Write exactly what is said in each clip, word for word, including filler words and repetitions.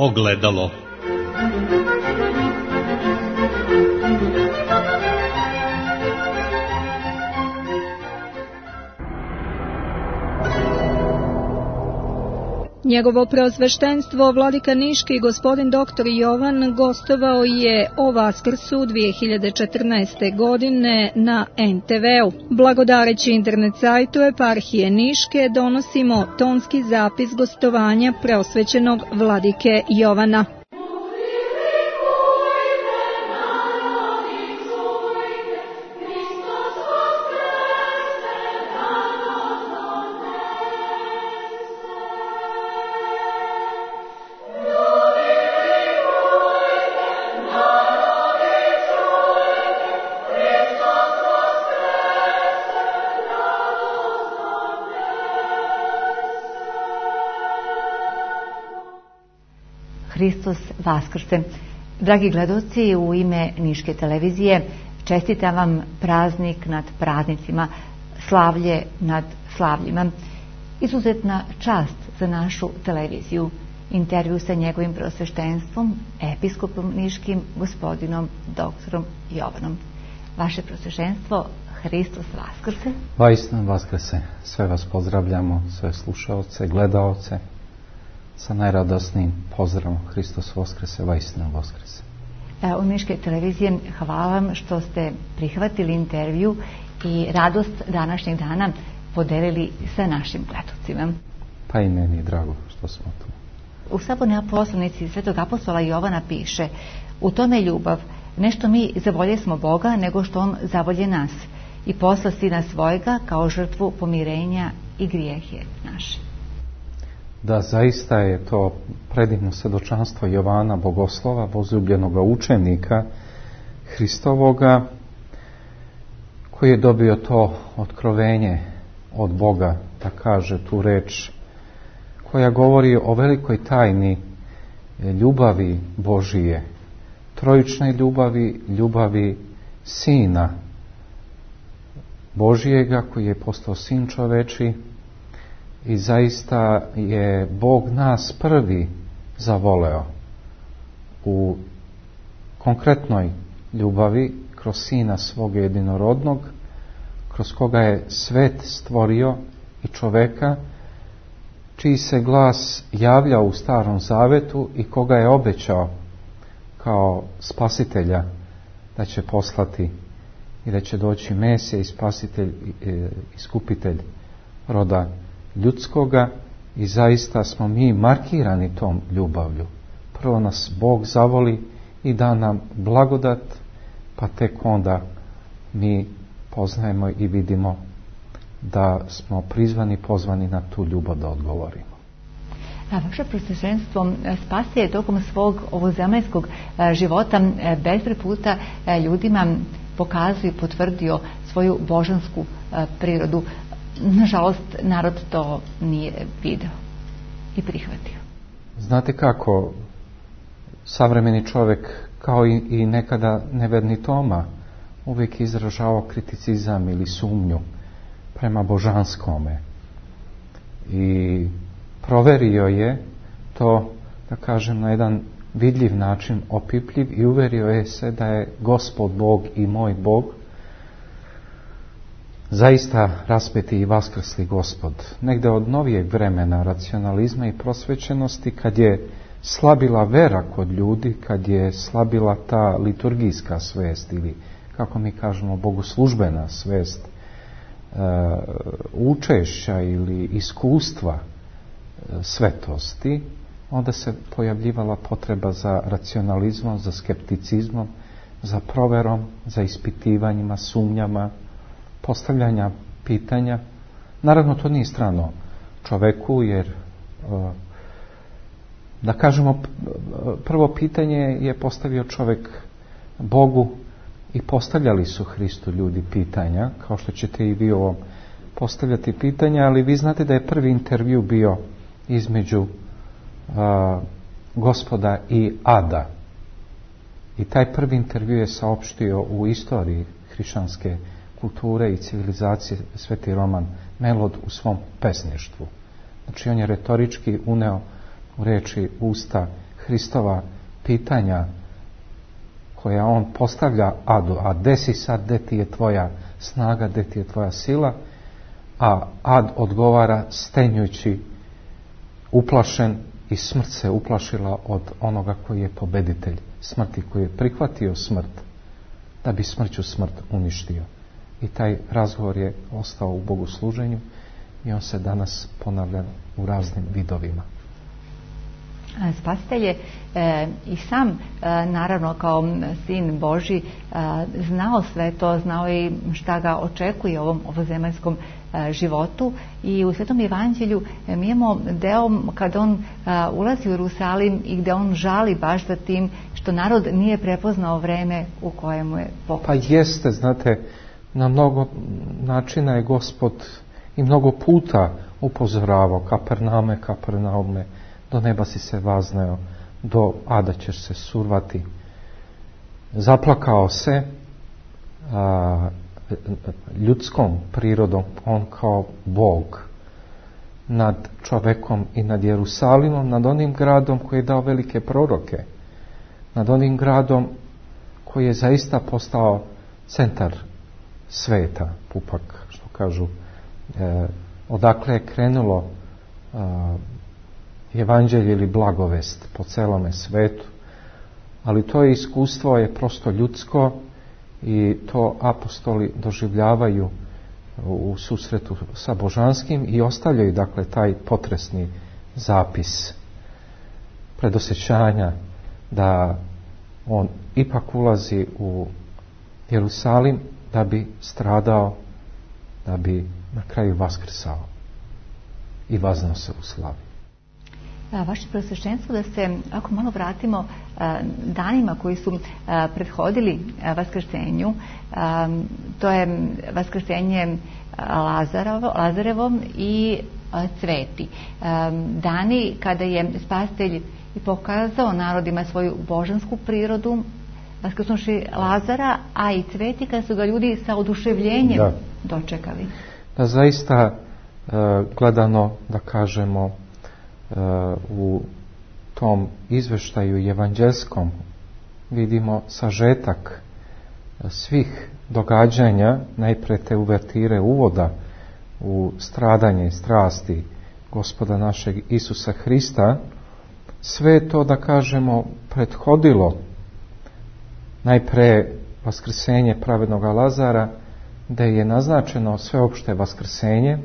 Ogledalo. Njegovo preosveštenstvo vladika Niški gospodin doktor Jovan gostovao je o Vaskrsu dvije hiljade četrnaeste. godine na en te veu. Blagodareći internet sajtu Eparhije Niške donosimo tonski zapis gostovanja preosvećenog vladike Jovana. Hristos Vaskrse. Dragi gledaoci, u ime Niške televizije čestitam vam praznik nad praznicima, slavlje nad slavljima. Izuzetna čast za našu televiziju. Intervju sa njegovim preosveštenstvom, episkopom Niškim, gospodinom doktorom Jovanom. Vaše preosveštenstvo, Hristos Vaskrse. Vaistinu Vaskrse. Sve vas pozdravljamo, sve slušaoce, gledaoce, sa najradosnijim pozdravom. Hristos Vaskrse, vaistinu Vaskrse. U Niške televizije hvala vam što ste prihvatili intervju i radost današnjeg dana podelili sa našim gledalcima. Pa i meni je drago što smo tu. U Sabornoj poslanici svetog apostola Jovana piše: u tome je ljubav, ne što mi zavolje smo Boga, nego što On zavolje nas i posla Sina svojega kao žrtvu pomirenja i grijehe naše. Da, zaista je to predivno svjedočanstvo Jovana Bogoslova, возljubljenoga učenika Hristovoga, koji je dobio to otkrovenje od Boga, da kaže tu reč koja govori o velikoj tajni ljubavi Božije, trojične ljubavi, ljubavi Sina Božijega koji je postao Sin čoveči. I zaista je Bog nas prvi zavoleo u konkretnoj ljubavi kroz Sina svog jedinorodnog, kroz koga je svet stvorio i čoveka, čiji se glas javlja u Starom Zavetu i koga je obećao kao spasitelja da će poslati i da će doći Mesija i spasitelj, iskupitelj roda ljudskoga. I zaista smo mi markirani tom ljubavlju. Prvo nas Bog zavoli i da nam blagodat, pa tek onda mi poznajemo i vidimo da smo prizvani, pozvani na tu ljubav da odgovorimo. A vaše preosveštenstvo Spasitelj je tokom svog ovozemaljskog života bezbroj puta ljudima pokazao i potvrdio svoju božansku prirodu. Nažalost, narod to nije video i prihvatio. Znate kako, savremeni čovjek, kao i, i nekada neverni Toma, uvijek izražavao kriticizam ili sumnju prema božanskome. I proverio je to, da kažem, na jedan vidljiv način, opipljiv, i uverio je se da je Gospod Bog i moj Bog, zaista raspeti i vaskrsli Gospod. Negde od novijeg vremena racionalizma i prosvećenosti, kad je slabila vera kod ljudi, kad je slabila ta liturgijska svest ili, kako mi kažemo, bogoslužbena svest, e, učešća ili iskustva e, svetosti, onda se pojavljivala potreba za racionalizmom, za skepticizmom, za proverom, za ispitivanjima, sumnjama, postavljanja pitanja. Naravno, to nije strano čoveku, jer da kažemo, prvo pitanje je postavio čovjek Bogu i postavljali su Hristu ljudi pitanja, kao što ćete i vi ovom postavljati pitanja, ali vi znate da je prvi intervju bio između a, Gospoda i Ada. I taj prvi intervju je saopštio u istoriji hrišćanske kulture i civilizacije Sveti Roman Melod u svom pesništvu. Znači, on je retorički uneo u reči usta Hristova pitanja koja on postavlja Adu, a gde si sad, gde ti je tvoja snaga, gde ti je tvoja sila, a Ad odgovara stenjući, uplašen, i smrt se uplašila od onoga koji je pobeditelj smrti, koji je prihvatio smrt da bi smrću smrt uništio. I taj razgovor je ostao u bogosluženju i on se danas ponavlja u raznim vidovima. Spasitelj je e, i sam, e, naravno kao sin Božji, e, znao sve to, znao i šta ga očekuje u ovom ovozemaljskom e, životu, i u Svetom Evanđelju e, mi imamo deo kada on e, ulazi u Jerusalim i gde on žali baš za tim što narod nije prepoznao vreme u kojemu je pokrećen. Pa jeste, znate, na mnogo načina je Gospod i mnogo puta upozoravao: Kapernaume, Kapernaume, do neba si se vazneo, do ada ćeš se survati. Zaplakao se a, ljudskom prirodom, on kao Bog, nad čovekom i nad Jerusalimom, nad onim gradom koji je dao velike proroke, nad onim gradom koji je zaista postao centar sveta, pupak, što kažu, e, odakle je krenulo e, evanđelje ili blagovest po celome svetu, ali to je iskustvo je prosto ljudsko i to apostoli doživljavaju u susretu sa božanskim i ostavljaju, dakle, taj potresni zapis predosjećanja da on ipak ulazi u Jerusalim da bi stradao, da bi na kraju vaskrsao i vaznao se u slavi. Vaše preosveštenstvo, da se, ako malo vratimo danima koji su prethodili vaskrsenju, to je vaskrsenje Lazarevo, Lazarevom i Cveti. Dani kada je Spasitelj i pokazao narodima svoju božansku prirodu, vaskrsnuši Lazara, a i Cveti kada su ga ljudi sa oduševljenjem da. dočekali. Da, zaista gledano, da kažemo, u tom izveštaju evanđelskom vidimo sažetak svih događanja, najpre te uvertire uvoda u stradanje i strasti Gospoda našeg Isusa Hrista. Sve to, da kažemo, prethodilo najpre vaskrsenje pravednog Lazara, gde je naznačeno sveopšte vaskrsenje.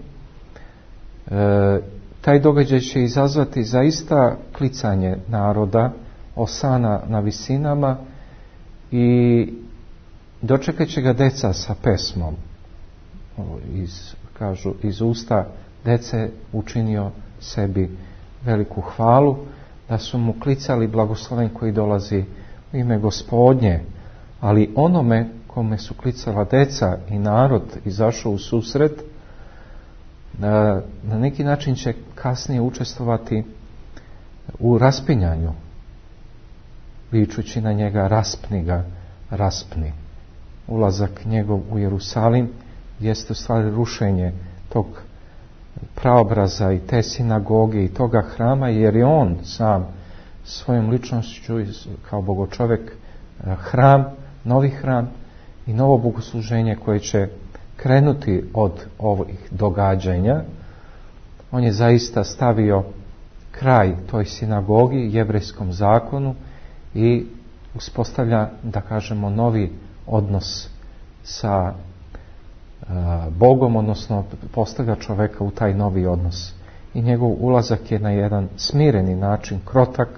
E, taj događaj će izazvati zaista klicanje naroda, osana na visinama, i dočekat će ga deca sa pesmom. Iz, kažu, iz usta dece učinio sebi veliku hvalu, da su mu klicali blagosloven koji dolazi u ime Gospodnje, ali onome kome su klicala deca i narod izašao u susret, na, na neki način će kasnije učestvovati u raspinjanju, vičući na njega: raspni ga, raspni. Ulazak njegov u Jerusalim jeste u stvari rušenje tog praobraza i te sinagoge i toga hrama, jer je on sam svojom ličnošću kao bogočovek hram, novi hram i novo bogosluženje koje će krenuti od ovih događanja. On je zaista stavio kraj toj sinagogi, jevrejskom zakonu, i uspostavlja, da kažemo, novi odnos sa Bogom, odnosno postavlja čoveka u taj novi odnos. I njegov ulazak je na jedan smireni način, krotak,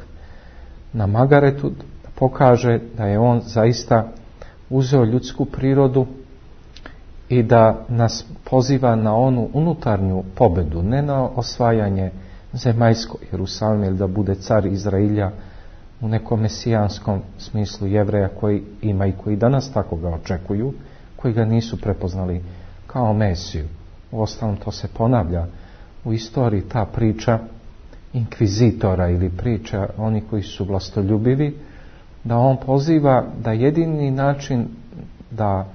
na Magaretu, da pokaže da je on zaista uzeo ljudsku prirodu i da nas poziva na onu unutarnju pobedu, ne na osvajanje zemaljskog Jerusalima ili da bude car Izrailja u nekom mesijanskom smislu Jevreja koji ima i koji danas tako ga očekuju, koji ga nisu prepoznali kao Mesiju. Uostalom, to se ponavlja u istoriji, ta priča inkvizitora ili priča oni koji su vlastoljubivi, da on poziva da jedini način da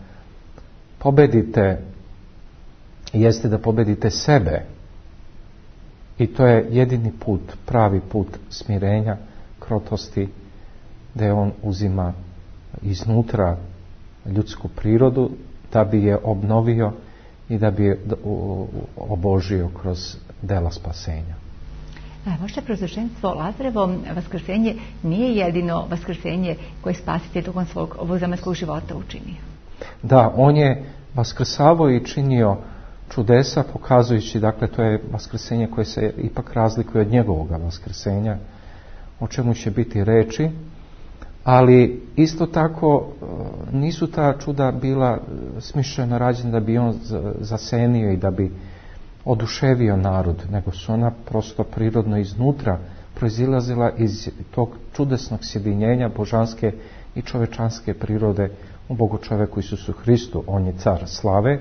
pobedite jeste da pobedite sebe, i to je jedini put, pravi put smirenja, krotosti, da on uzima iznutra ljudsku prirodu da bi je obnovio i da bi je obožio kroz dela spasenja. Vaše proročanstvo Lazarevo vaskrsenje nije jedino vaskrsenje koje spasitelj tokom svog ovozemaljskog života učinio. Da, on je vaskrsavao i činio čudesa, pokazujući, dakle, to je vaskrsenje koje se ipak razlikuje od njegovog vaskrsenja, o čemu će biti reči, ali isto tako nisu ta čuda bila smišljeno rađena da bi on zasenio i da bi oduševio narod, nego su ona prosto prirodno iznutra proizilazila iz tog čudesnog sjedinjenja božanske i čovečanske prirode u Bogu čoveku Isusu Hristu. On je car slave.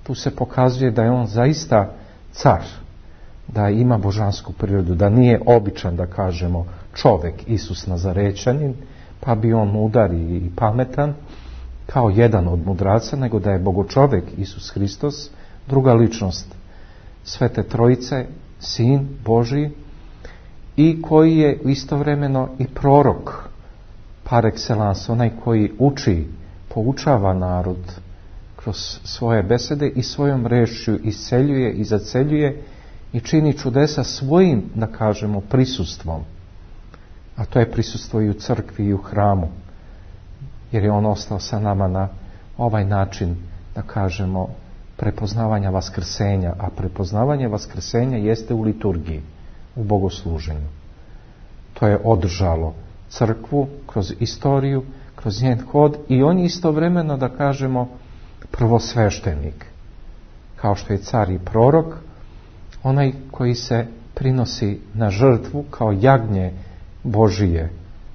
Tu se pokazuje da je on zaista car, da ima božansku prirodu, da nije običan, da kažemo, čovek Isus Nazarećanin, pa bi on mudar i pametan kao jedan od mudraca, nego da je bogočovek Isus Hristos, druga ličnost Svete Trojice, Sin Božji, i koji je istovremeno i prorok par excellence, onaj koji uči, poučava narod kroz svoje besede i svojom rečju isceljuje i zaceljuje i čini čudesa svojim, da kažemo, prisustvom. A to je prisustvo i u crkvi i u hramu, jer je on ostao sa nama na ovaj način, da kažemo, prepoznavanja vaskrsenja, a prepoznavanje vaskrsenja jeste u liturgiji, u bogosluženju. To je održalo crkvu kroz istoriju, kroz njen hod, i on je istovremeno, da kažemo, prvosveštenik, kao što je car i prorok, onaj koji se prinosi na žrtvu kao jagnje Božije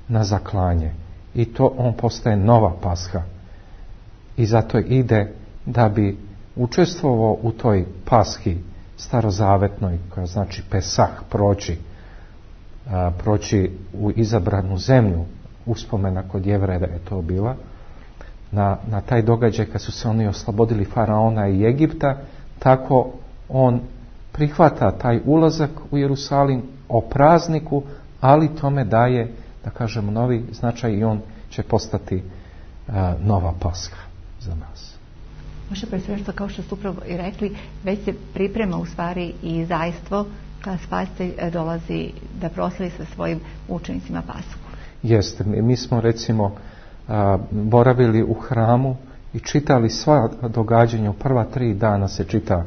na zaklanje, i to on postaje nova pasha, i zato ide da bi učestvovao u toj pashi starozavetnoj, koja znači Pesah, proći a, proći u izabranu zemlju, uspomena kod Jevreja je to bila, na, na taj događaj kad su se oni oslobodili faraona i Egipta. Tako on prihvata taj ulazak u Jerusalim o prazniku, ali tome daje, da kažemo, novi značaj, i on će postati a, nova Pasha za nas. Može presveštvo, kao što ste upravo i rekli, već se priprema u stvari i zajstvo kada spasitelj dolazi da proslavi sa svojim učenicima Pashu. Jeste, mi smo recimo a, boravili u hramu i čitali sva događanja. U prva tri dana se čita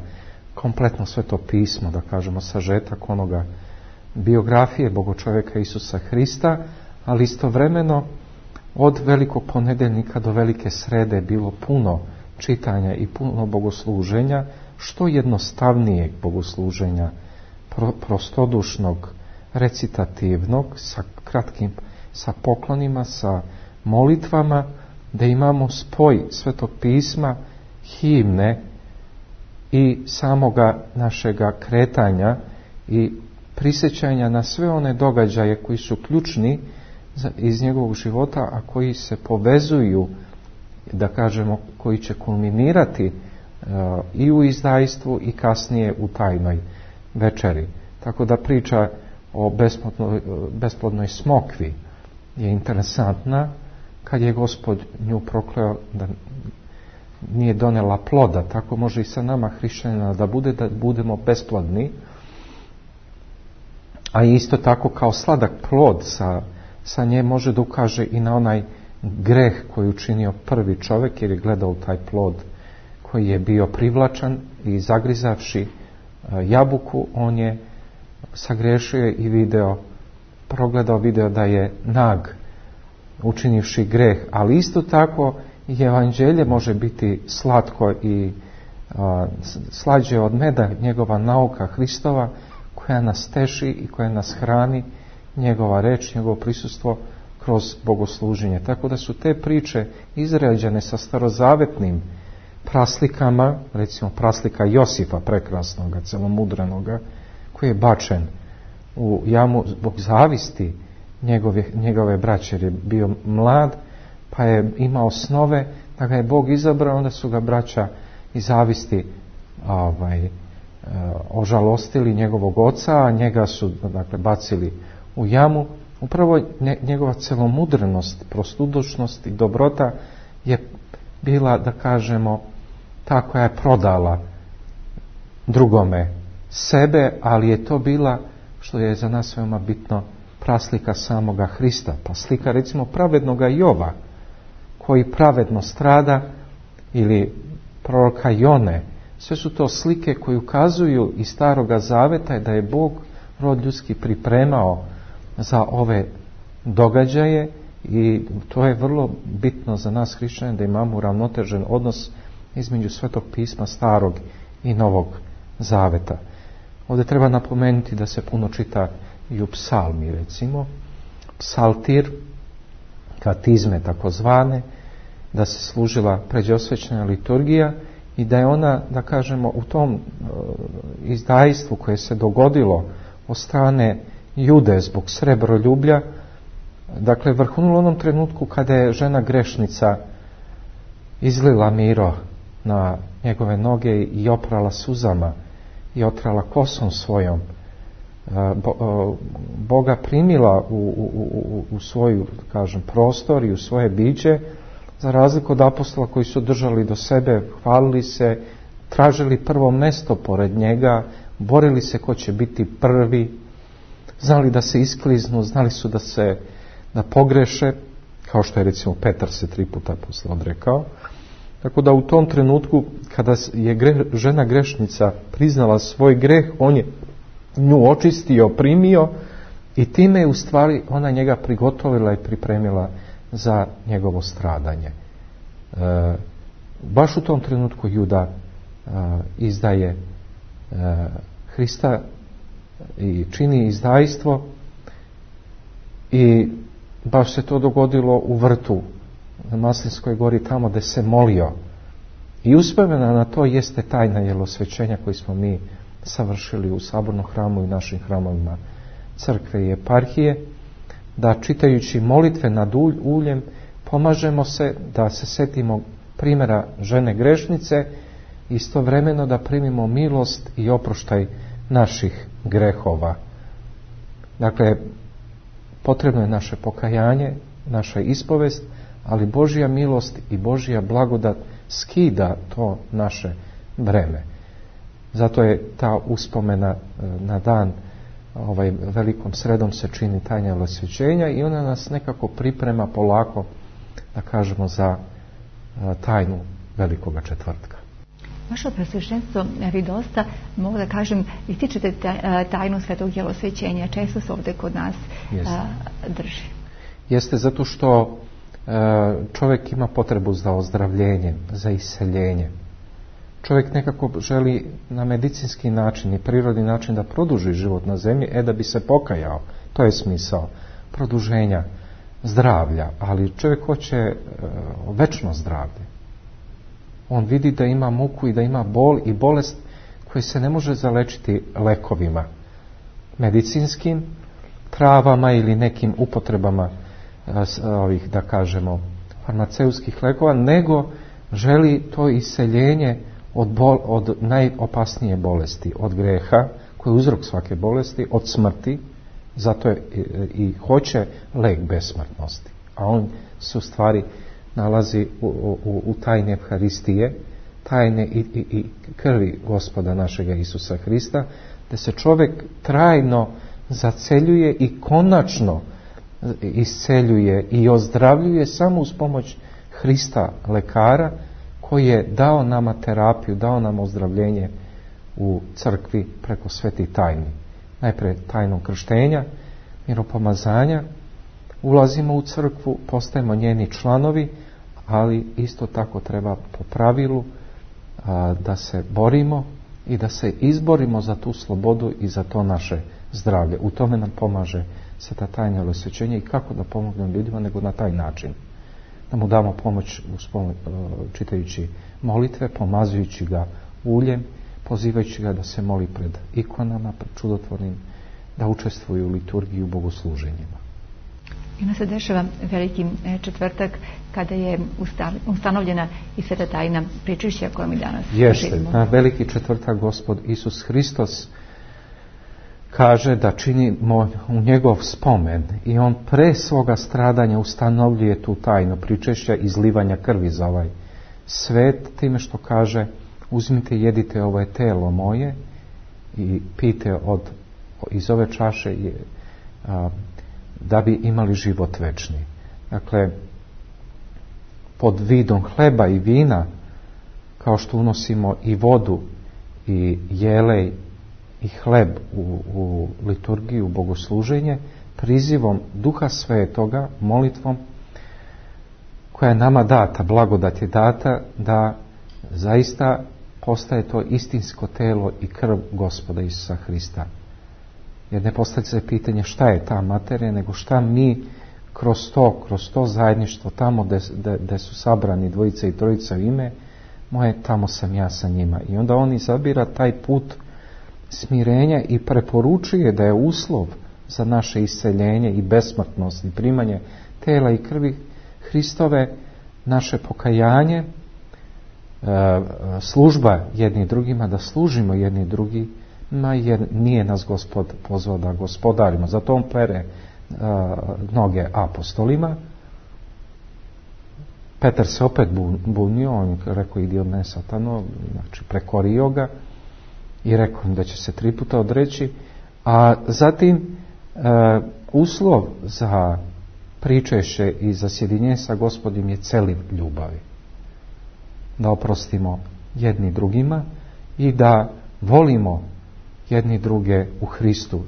kompletno Sveto pismo, da kažemo, sažetak onoga biografije bogočoveka Isusa Hrista, ali istovremeno od velikog ponedeljnika do velike srede je bilo puno čitanja i puno bogosluženja, što jednostavnijeg bogosluženja, pro, prostodušnog, recitativnog, sa kratkim, sa poklonima, sa molitvama, da imamo spoj Svetog pisma, himne i samoga našega kretanja i prisjećanja na sve one događaje koji su ključni iz njegovog života, a koji se povezuju, da kažemo, koji će kulminirati uh, i u izdajstvu i kasnije u tajnoj večeri. Tako da priča o besplodnoj, besplodnoj smokvi je interesantna, kad je Gospod nju prokleo da nije donela ploda. Tako može i sa nama hrišćanima da bude, da budemo besplodni, a isto tako kao sladak plod sa, sa nje može da ukaže i na onaj greh koji učinio prvi čovjek, jer je gledao taj plod koji je bio privlačan, i zagrizavši jabuku on je sagrešio i video, progledao video da je nag, učinivši greh. Ali isto tako i evanđelje može biti slatko i a, slađe od meda, njegova nauka Hristova, koja nas teši i koja nas hrani, njegova reč, njegovo prisustvo kroz bogosluženje. Tako da su te priče izrađene sa starozavetnim praslikama, recimo praslika Josifa prekrasnoga, celomudranoga, koji je bačen u jamu zbog zavisti njegove, njegove braće, jer je bio mlad, pa je imao snove da ga je Bog izabrao, onda su ga braća iz zavisti ovaj, ožalostili njegovog oca, a njega su, dakle, bacili u jamu, Upravo njegova celomudrenost, prostudošnost i dobrota je bila, da kažemo, ta koja je prodala drugome sebe, ali je to bila, što je za nas veoma bitno, praslika samoga Hrista. Pa slika recimo pravednoga Jova, koji pravedno strada, ili proroka Jone. Sve su to slike koje ukazuju iz Staroga Zaveta da je Bog rod ljudski pripremao za ove događaje, i to je vrlo bitno za nas hrišćane, da imamo uravnotežen odnos između Svetog pisma Starog i Novog Zaveta. Ovdje treba napomenuti da se puno čita i u psalmi, recimo psaltir, katizme takozvane, da se služila pređosvećna liturgija i da je ona, da kažemo, u tom izdajstvu koje se dogodilo od strane Jude zbog srebroljublja, dakle vrhunulo onom trenutku kada je žena grešnica izlila miro na njegove noge i oprala suzama i otrala kosom svojom, Boga primila u, u, u, u svoju, kažem, prostor i u svoje biće, za razliku od apostola koji su držali do sebe, hvalili se, tražili prvo mjesto pored njega, borili se ko će biti prvi, znali da se iskliznu, znali su da se da pogreše, kao što je recimo Petar se tri puta posle odrekao. Tako da u tom trenutku kada je gre, žena grešnica priznala svoj greh, on je nju očistio, primio, i time je u stvari ona njega prigotovila i pripremila za njegovo stradanje. E, baš u tom trenutku Juda e, izdaje e, Hrista i čini izdajstvo, i baš se to dogodilo u vrtu na Maslinskoj gori, tamo gdje se molio. I uspomena na to jeste tajna jelosvećenja koji smo mi savršili u sabornom hramu i našim hramovima crkve i eparhije, da čitajući molitve nad uljem pomažemo se da se setimo primjera žene grešnice, istovremeno da primimo milost i oproštaj naših grehova. Dakle, potrebno je naše pokajanje, naša ispovest, ali Božja milost i Božja blagodat skida to naše breme. Zato je ta uspomena na dan ovaj, velikom sredom se čini tajna jelosvećenja, i ona nas nekako priprema polako, da kažemo, za tajnu Velikoga četvrtka. Vaše Preosveštenstvo, vi dosta, mogu da kažem, ističete tajnu Svetog jelosvećenja, često se ovdje kod nas Jeste. drži. Jeste, zato što čovjek ima potrebu za ozdravljenjem, za iseljenje. Čovjek nekako želi na medicinski način i prirodni način da produži život na zemlji, e da bi se pokajao. To je smisao produženja zdravlja, ali čovjek hoće uh, večno zdravlje. On vidi da ima muku i da ima bol i bolest koji se ne može zalečiti lekovima medicinskim, travama ili nekim upotrebama uh, ovih, da kažemo, farmaceutskih lekova, nego želi to iseljenje od, bol, od najopasnije bolesti, od greha, koji je uzrok svake bolesti, od smrti. Zato je i, i hoće lek besmrtnosti. A on se u stvari nalazi u, u, u tajne Evharistije, tajne i, i, i krvi Gospoda našega Isusa Hrista, da se čovjek trajno zaceljuje i konačno isceljuje i ozdravljuje samo uz pomoć Hrista, lekara, koji je dao nama terapiju, dao nam ozdravljenje u crkvi preko svetih tajni. Najprije tajnom krštenja, miropomazanja, ulazimo u crkvu, postajemo njeni članovi, ali isto tako treba po pravilu a, da se borimo i da se izborimo za tu slobodu i za to naše zdravlje. U tome nam pomaže sveta tajna jelosvećenja, i kako da pomognemo ljudima nego na taj način. Da mu damo pomoć čitajući molitve, pomazujući ga uljem, pozivajući ga da se moli pred ikonama, pred čudotvornim, da učestvuju u liturgiji, u bogosluženjima. I onda se dešava veliki četvrtak kada je ustanovljena i sveta tajna pričešća koja mi danas Jeste, živimo. Na veliki četvrtak Gospod Isus Hristos kaže da činimo u njegov spomen i on pre svoga stradanja ustanovljuje tu tajnu pričešća izlivanja krvi za ovaj svet, time što kaže: uzmite i jedite, ovo je telo moje, i pijte od, iz ove čaše a, da bi imali život večni. Dakle, pod vidom hleba i vina, kao što unosimo i vodu i jelej i hleb u, u liturgiju, u bogosluženje, prizivom Duha Svetoga, molitvom koja je nama data, blagodat je data da zaista postaje to istinsko telo i krv Gospoda Isusa Hrista. Jer ne postavlja se pitanje šta je ta materija, nego šta mi kroz to, kroz to zajedništvo, tamo gdje su sabrani dvojica i trojica u ime moje, tamo sam ja sa njima. I onda on izabira taj put smirenja i preporučuje da je uslov za naše isceljenje i besmrtnost i primanje tela i krvi Hristove naše pokajanje, služba jedni drugima, da služimo jedni drugima, jer nije nas Gospod pozvao da gospodarimo. Zato on pere noge apostolima. Petar se opet bunio, on rekao: idi od mene satano, znači prekorio ga i rekao im da će se tri puta odreći. A zatim uh, uslov za pričešće i za sjedinjenje sa Gospodim je celiv ljubavi. Da oprostimo jedni drugima i da volimo jedni druge u Hristu.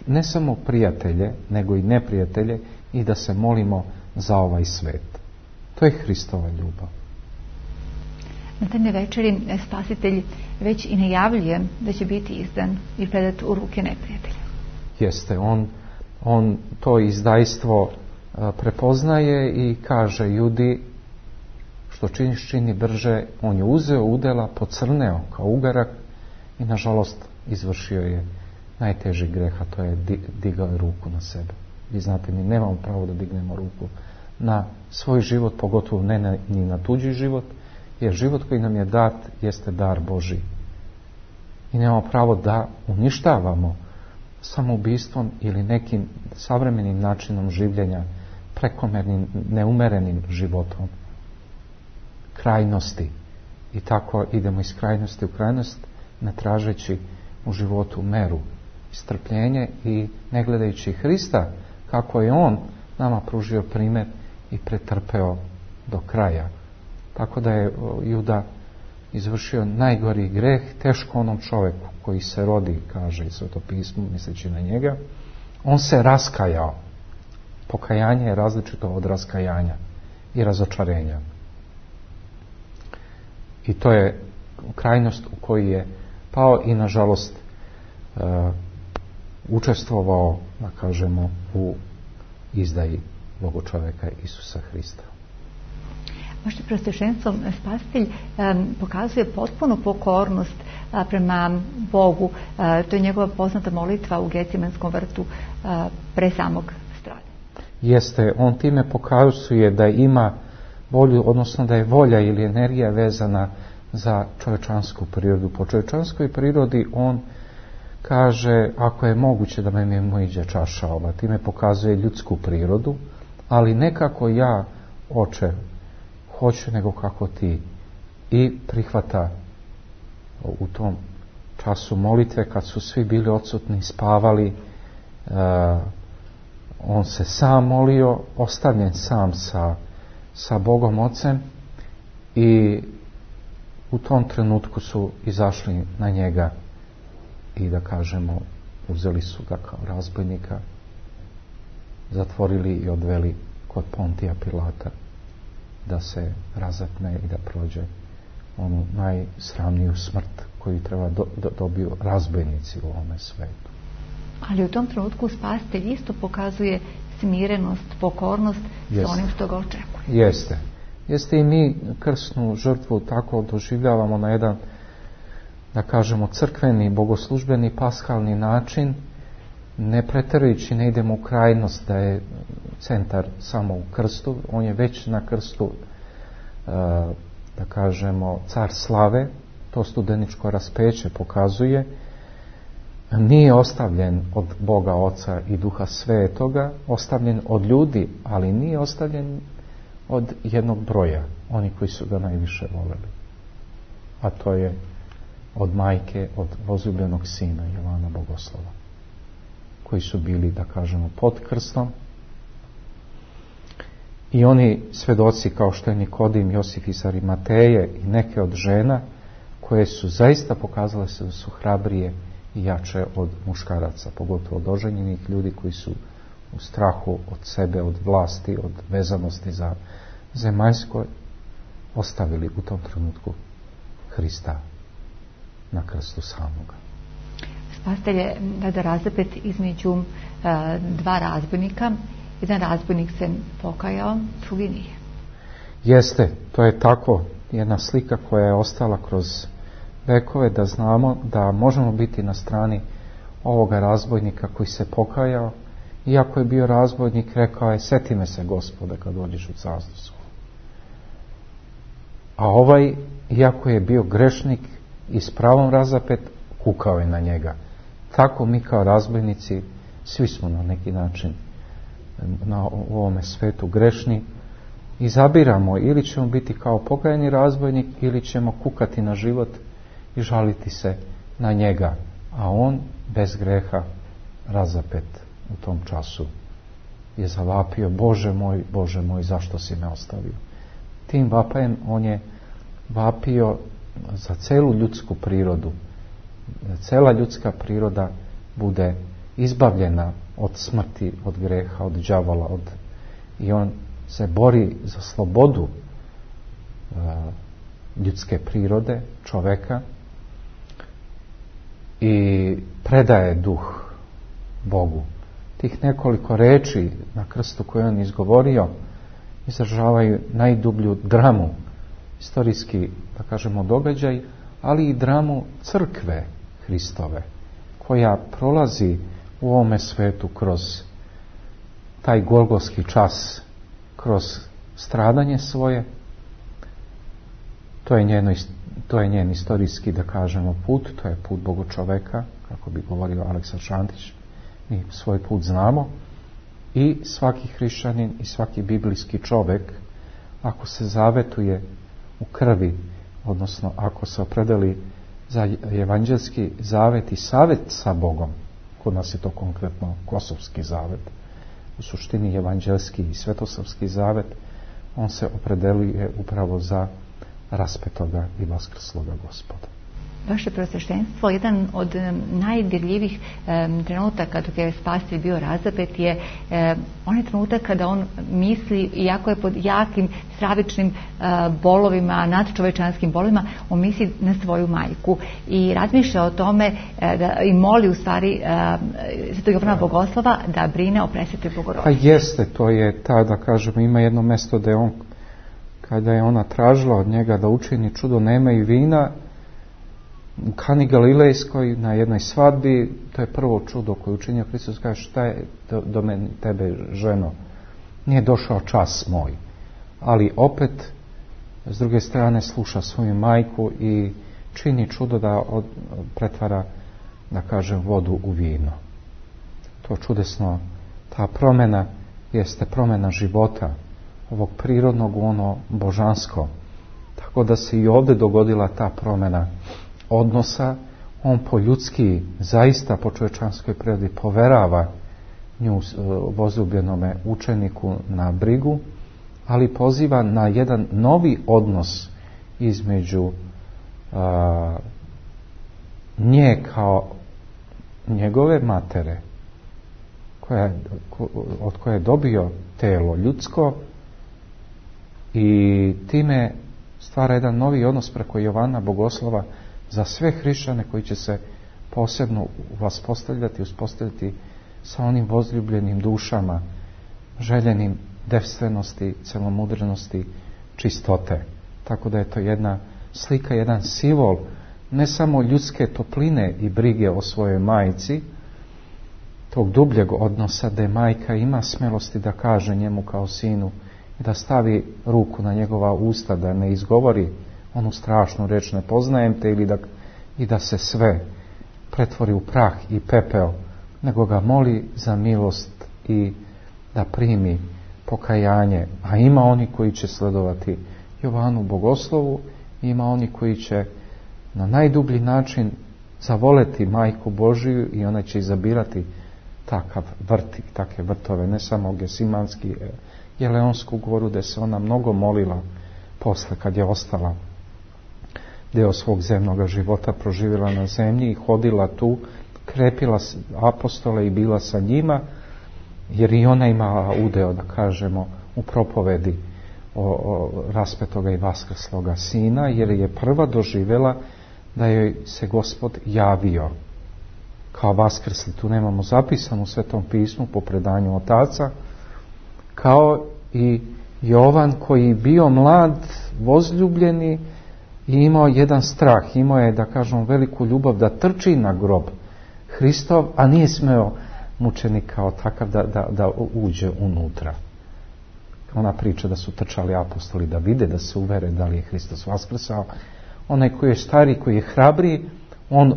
Ne samo prijatelje, nego i neprijatelje, i da se molimo za ovaj svet. To je Hristova ljubav. Na tajnoj večeri Spasitelj već i najavljuje da će biti izdan i predat u ruke neprijatelja. Jeste, on, on to izdajstvo prepoznaje i kaže: Judi, što činiš, čini brže. On je uzeo udela, pocrneo kao ugarak i nažalost izvršio je najteži greh, a to je digao ruku na sebe. Vi znate, mi nemamo pravo da dignemo ruku na svoj život, pogotovo ne na, ni na tuđi život, jer život koji nam je dat jeste dar Božji. I nemamo pravo da uništavamo samoubistvom ili nekim savremenim načinom življenja, prekomernim, neumerenim životom, krajnosti. I tako idemo iz krajnosti u krajnost, ne tražeći u životu meru, strpljenje i ne gledajući Hrista kako je on nama pružio primjer i pretrpeo do kraja. Tako da je Juda izvršio najgori greh, teško onom čovjeku koji se rodi, kaže i Sveto pismo, misleći na njega. On se raskajao. Pokajanje je različito od raskajanja i razočarenja. I to je krajnost u kojoj je pao i nažalost uh, učestvovao, da kažemo, u izdaji Boga čovjeka Isusa Hrista. Vaše preosveštenstvo, Spasitelj um, pokazuje potpunu pokornost uh, prema Bogu. Uh, to je njegova poznata molitva u Gecimenskom vrtu uh, pre samog stradanja. Jeste, on time pokazuje da ima volju, odnosno da je volja ili energija vezana za čovječansku prirodu. Po čovječanskoj prirodi on kaže: ako je moguće da me mojiđe čaša ova, time pokazuje ljudsku prirodu, ali ne kako ja, Oče, hoću, nego kako ti. I prihvata u tom času molitve, kad su svi bili odsutni, spavali, uh, on se sam molio, ostavljen sam sa, sa Bogom Ocem, i u tom trenutku su izašli na njega i, da kažemo, uzeli su ga kao razbojnika, zatvorili i odveli kod Pontija Pilata da se razapne i da prođe onu najsramniju smrt koju treba do, do, dobiju razbojnici u ovome svetu. Ali u tom trenutku Spasitelj isto pokazuje smirenost, pokornost Jeste. sa onim što ga očekuje. Jeste. Jeste i mi krsnu žrtvu tako doživljavamo na jedan, da kažemo, crkveni, bogoslužbeni, paskalni način, ne preterajući, ne idemo u krajnost da je centar samo u krstu. On je već na krstu, da kažemo, car slave, to studeničko raspeće pokazuje, nije ostavljen od Boga Oca i Duha Svetoga, ostavljen od ljudi, ali nije ostavljen od jednog broja, oni koji su ga najviše voleli. A to je od majke, od возлюbljenog sina Jovana Bogoslova, koji su bili, da kažemo, pod krstom. I oni svedoci kao što je Nikodim, Josif iz Arimateje i neke od žena koje su zaista pokazale se da su hrabrije i jače od muškaraca, pogotovo od oženjenih ljudi koji su u strahu od sebe, od vlasti, od vezanosti za zemaljsko, ostavili u tom trenutku Hrista na krstu samoga. Spastelje, da razapet između uh, dva razbojnika. Jedan razbojnik se pokajao, drugi nije. Jeste, to je tako jedna slika koja je ostala kroz vekove, da znamo da možemo biti na strani ovoga razbojnika koji se pokajao, iako je bio razbojnik, rekao je: seti me se, Gospode, kad dođeš u carstvo svoje. A ovaj, iako je bio grešnik i s pravom razapet, kukao je na njega. Tako mi kao razbojnici svi smo na neki način na ovome svetu grešni, izabiramo ili ćemo biti kao pokajani razbojnik ili ćemo kukati na život i žaliti se na njega, a on bez greha razapet u tom času je zavapio: Bože moj, Bože moj, zašto si me ostavio? Tim vapajem on je vapio za celu ljudsku prirodu, da cela ljudska priroda bude izbavljena od smrti, od greha, od đavola, od... i on se bori za slobodu uh, ljudske prirode, čoveka, i predaje duh Bogu. Tih nekoliko reči na krstu koje on izgovorio izražavaju najdublju dramu, istorijski, da kažemo, događaj, ali i dramu crkve Hristove, koja prolazi u ovome svetu kroz taj golgotski čas, kroz stradanje svoje. To je, njeno, to je njen istorijski, da kažemo, put, to je put Bogočoveka, kako bi govorio Aleksa Šantić. Mi svoj put znamo i svaki hrišćanin i svaki biblijski čovjek, ako se zavetuje u krvi, odnosno ako se opredeli za evanđelski zavet i savet sa Bogom, kod nas je to konkretno Kosovski zavet, u suštini evanđelski i svetosavski zavet, on se opredeluje upravo za raspetoga i vaskrsloga Gospoda. Vaše preosveštenstvo, jedan od najdirljivih um, trenutaka dok je Spasitelj bio razapet je um, onaj trenutak kada on misli, iako je pod jakim stravičnim uh, bolovima, nadčovečanskim bolovima, on misli na svoju majku i razmišlja o tome uh, da, i moli u stvari uh, Svetog Jovana Bogoslova da brine o Presvetoj Bogorodici. Pa jeste, to je ta, da kažemo, ima jedno mesto da je on, kada je ona tražila od njega da učini čudo, nema i vina, u Kani Galilejskoj na jednoj svadbi, to je prvo čudo koje učinio Hristos, kaže: šta je do, do mene, tebe, ženo, nije došao čas moj. Ali opet s druge strane sluša svoju majku i čini čudo da od, pretvara, da kažem, vodu u vino. To čudesno, ta promjena jeste promjena života, ovog prirodnog u ono božansko. Tako da se i ovdje dogodila ta promjena odnosa. On po ljudski, zaista po čovječanskoj prirodi poverava nju возлюbljenome učeniku na brigu, ali poziva na jedan novi odnos između a, nje kao njegove matere, koja, ko, od koje je dobio telo ljudsko, i time stvara jedan novi odnos preko Jovana Bogoslova za sve hrišćane koji će se posebno vaspostavljati, uspostaviti sa onim возлюbljenim dušama, željenim devstvenosti, celomudrenosti, čistote. Tako da je to jedna slika, jedan simbol ne samo ljudske topline i brige o svojoj majci, tog dubljeg odnosa da je majka ima smelosti da kaže njemu kao sinu i da stavi ruku na njegova usta, da ne izgovori onu strašnu reč: ne poznajem te, ili da, i da se sve pretvori u prah i pepeo, nego ga moli za milost i da primi pokajanje. A ima oni koji će sledovati Jovanu Bogoslovu, ima oni koji će na najdublji način zavoleti Majku Božiju i ona će izabirati takav vrt i takve vrtove, ne samo Gesimanski, Jeleonsku goru, gdje se ona mnogo molila posle kad je ostala deo svog zemnog života proživjela na zemlji i hodila tu, krepila apostole i bila sa njima, jer i ona imala udeo, da kažemo, u propovedi o, o raspetoga i vaskrsloga sina, jer je prva doživjela da joj se Gospod javio kao vaskrsli. Tu nemamo zapisano u Svetom pismu po predanju otaca, kao i Jovan koji bio mlad, vozljubljeni i imao jedan strah, imao je, da kažem, veliku ljubav da trči na grob Hristov, a nije smeo mučenik kao takav da, da, da uđe unutra. Ona priča da su trčali apostoli da vide, da se uvere da li je Hristos vaskrsao. Onaj koji je stari, koji je hrabri, on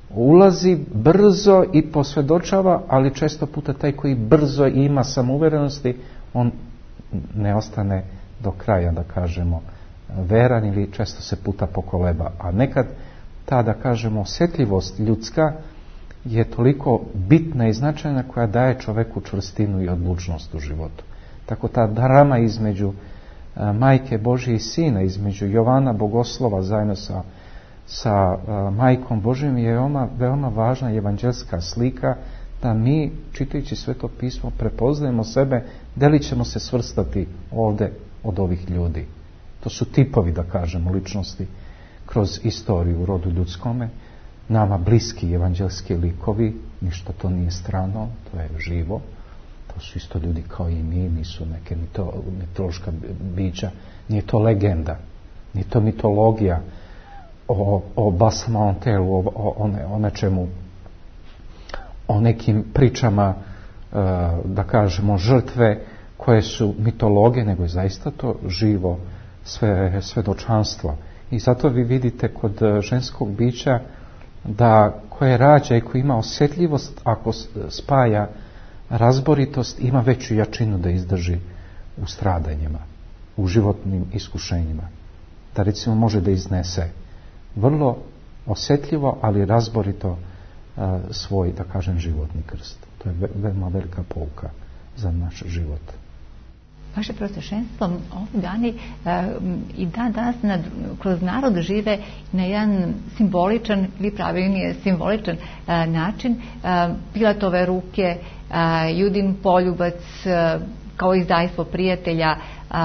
ulazi brzo i posvjedočava, ali često puta taj koji brzo ima samouverenosti, on ne ostane do kraja, da kažemo, veran ili često se puta pokoleba. A nekad ta, da kažemo, osjetljivost ljudska je toliko bitna i značajna koja daje čoveku čvrstinu i odlučnost u životu. Tako ta drama između a, Majke Božje i Sina, između Jovana Bogoslova zajedno sa, sa a, Majkom Božjom je veoma, veoma važna evanđelska slika da mi, čitajući Sveto pismo, prepoznajemo sebe, da li ćemo se svrstati ovdje od ovih ljudi. To su tipovi, da kažemo, ličnosti kroz istoriju u rodu ljudskome, nama bliski evanđelski likovi, ništa to nije strano, to je živo, to su isto ljudi kao i mi, nisu neke mito, mitološka bića, nije to legenda, nije to mitologija o, o Basamontelu, o, o, o, ne, o nečemu, o nekim pričama, da kažemo, žrtve koje su mitologije, nego je zaista to živo sve, svedočanstvo. I zato vi vidite kod ženskog bića da koje rađa i koji ima osjetljivost, ako spaja razboritost, ima veću jačinu da izdrži u stradanjima, u životnim iskušenjima. Da recimo može da iznese vrlo osjetljivo, ali razborito a, svoj, da kažem, životni krst. To je veoma velika pouka za naš život. Vaše prosvešenstvo ovih dani e, i dan danas nad, kroz narod žive na jedan simboličan, ili pravilnije simboličan e, način. E, Pilatove ruke, e, Judin poljubac, e, kao izdajstvo prijatelja, e,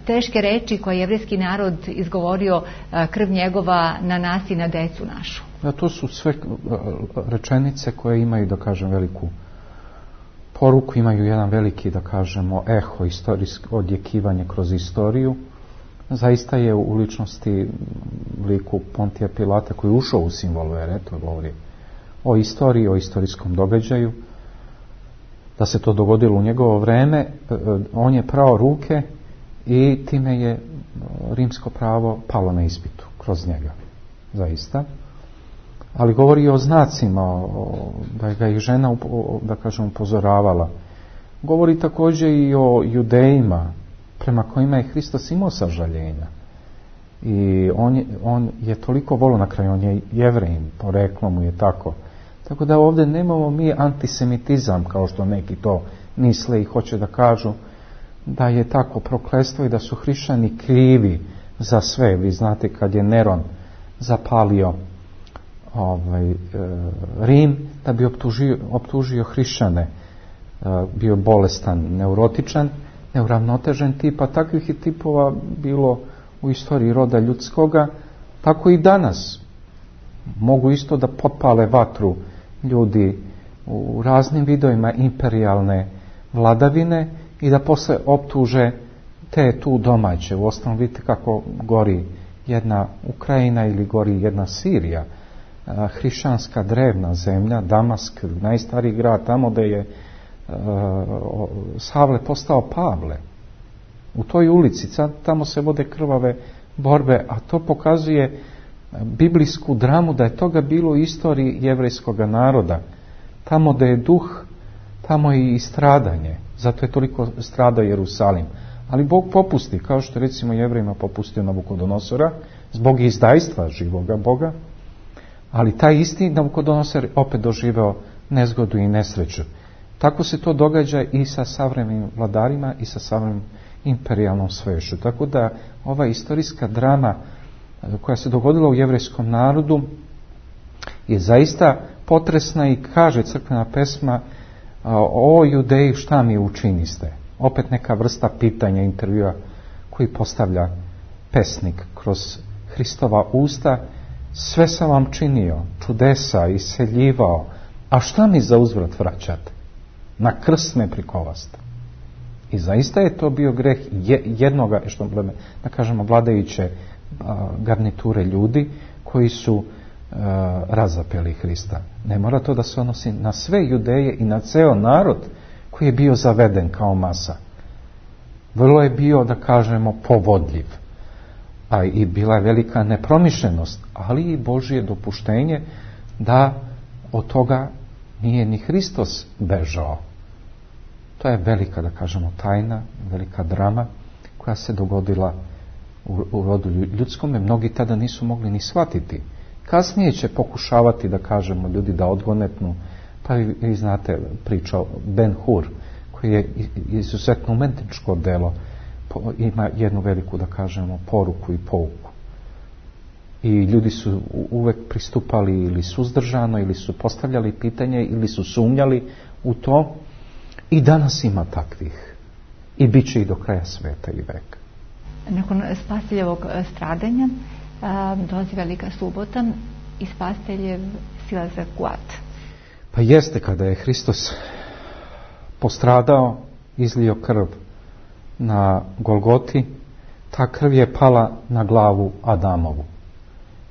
teške reči koje je jevrijski narod izgovorio, e, krv njegova na nas i na decu našu. Da, to su sve rečenice koje imaju, da kažem, veliku poruku, imaju jedan veliki, da kažemo, eho, istorijsko odjekivanje kroz istoriju. Zaista je u ličnosti liku Pontija Pilata koji je ušao u simbol vere, to govori o istoriji, o istorijskom događaju, da se to dogodilo u njegovo vreme, on je prao ruke i time je rimsko pravo palo na ispitu kroz njega, zaista. Ali govori o znacima, o, da ga ih žena, da kažem, upozoravala. Govori također i o judejima, prema kojima je Hristos imao sažaljenja. I on je, on je toliko volio, na kraju on je Jevrejin, poreklo mu je tako. Tako da ovdje nemamo mi antisemitizam, kao što neki to misle i hoće da kažu da je tako prokletstvo i da su hrišćani krivi za sve. Vi znate kad je Neron zapalio ovaj, e, Rim, da bi optužio, optužio hrišćane, e, bio bolestan, neurotičan, neuravnotežen tip, a takvih je tipova bilo u istoriji roda ljudskoga, tako i danas. Mogu isto da potpale vatru ljudi u raznim vidovima imperijalne vladavine i da posle optuže te tu domaće. U osnovu vidite kako gori jedna Ukrajina ili gori jedna Sirija, hrišćanska drevna zemlja, Damask, najstariji grad, tamo da je uh, Savle postao Pavle. U toj ulici, tamo se vode krvave borbe, a to pokazuje biblijsku dramu, da je toga bilo u istoriji jevrejskog naroda. Tamo da je duh, tamo je i stradanje. Zato je toliko stradao Jerusalim. Ali Bog popusti, kao što recimo Jevrejima popustio Navukodonosora, zbog izdajstva živoga Boga, ali taj isti Navukodonosor opet doživeo nezgodu i nesreću. Tako se to događa i sa savremenim vladarima i sa savremenim imperijalnom svešću. Tako da ova istorijska drama koja se dogodila u jevrejskom narodu je zaista potresna i kaže crkvena pesma: o Judeji, šta mi učiniste? Opet neka vrsta pitanja, intervjua koji postavlja pesnik kroz Hristova usta. Sve sam vam činio, čudesa, iseljivao, a šta mi za uzvrat vraćate? Na krst me prikovaste. I zaista je to bio greh jednoga, što da kažemo, vladajuće garniture ljudi koji su razapeli Hrista. Ne mora to da se odnosi na sve Judeje i na ceo narod koji je bio zaveden kao masa. Vrlo je bio, da kažemo, povodljiv. A i bila je velika nepromišljenost, ali i Božje dopuštenje da od toga nije ni Hristos bežao. To je velika, da kažemo, tajna, velika drama koja se dogodila u, u rodu ljudskome. Mnogi tada nisu mogli ni shvatiti. Kasnije će pokušavati, da kažemo, ljudi da odgonetnu, pa vi, vi znate priča Ben Hur, koji je izuzetno umetničko delo, ima jednu veliku, da kažemo, poruku i pouku. I ljudi su uvek pristupali ili suzdržano, ili su postavljali pitanje, ili su sumnjali u to. I danas ima takvih. I bit će i do kraja sveta i veka. Nakon spasiteljevog stradanja dolazi Velika subota i spasiteljev silazak u ad. Pa jeste, kada je Hristos postradao, izlio krv na Golgoti, ta krv je pala na glavu Adamovu.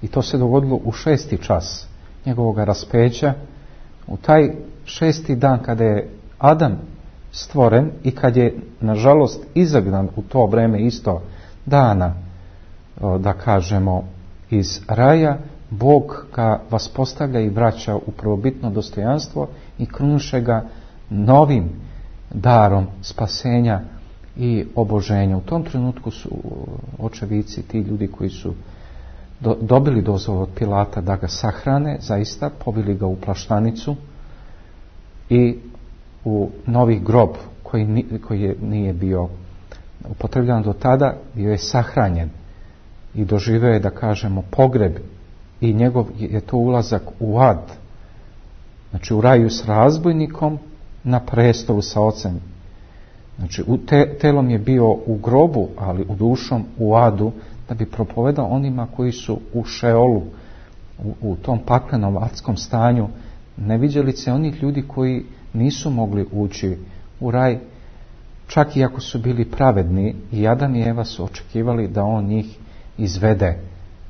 I to se dogodilo u šesti čas njegovog raspeća, u taj šesti dan kada je Adam stvoren i kad je, nažalost, izagnan u to vreme isto dana, da kažemo, iz raja, Bog ga vaspostavlja i vraća u prvobitno dostojanstvo i kruniše ga novim darom spasenja i oboženja. U tom trenutku su očevici, ti ljudi koji su do, dobili dozvolu od Pilata da ga sahrane, zaista pobili ga u plaštanicu i u novi grob koji, ni, koji je, nije bio upotrebljan do tada, bio je sahranjen i doživio je, da kažemo, pogreb, i njegov je to ulazak u ad, znači u raju s razbojnikom, na prestolu sa ocem. Znači u te, telom je bio u grobu, ali u dušom u adu, da bi propovedao onima koji su u Šeolu, u, u tom paklenom adskom stanju, neviđelice onih ljudi koji nisu mogli ući u raj, čak i ako su bili pravedni. I Adam i Eva su očekivali da on njih izvede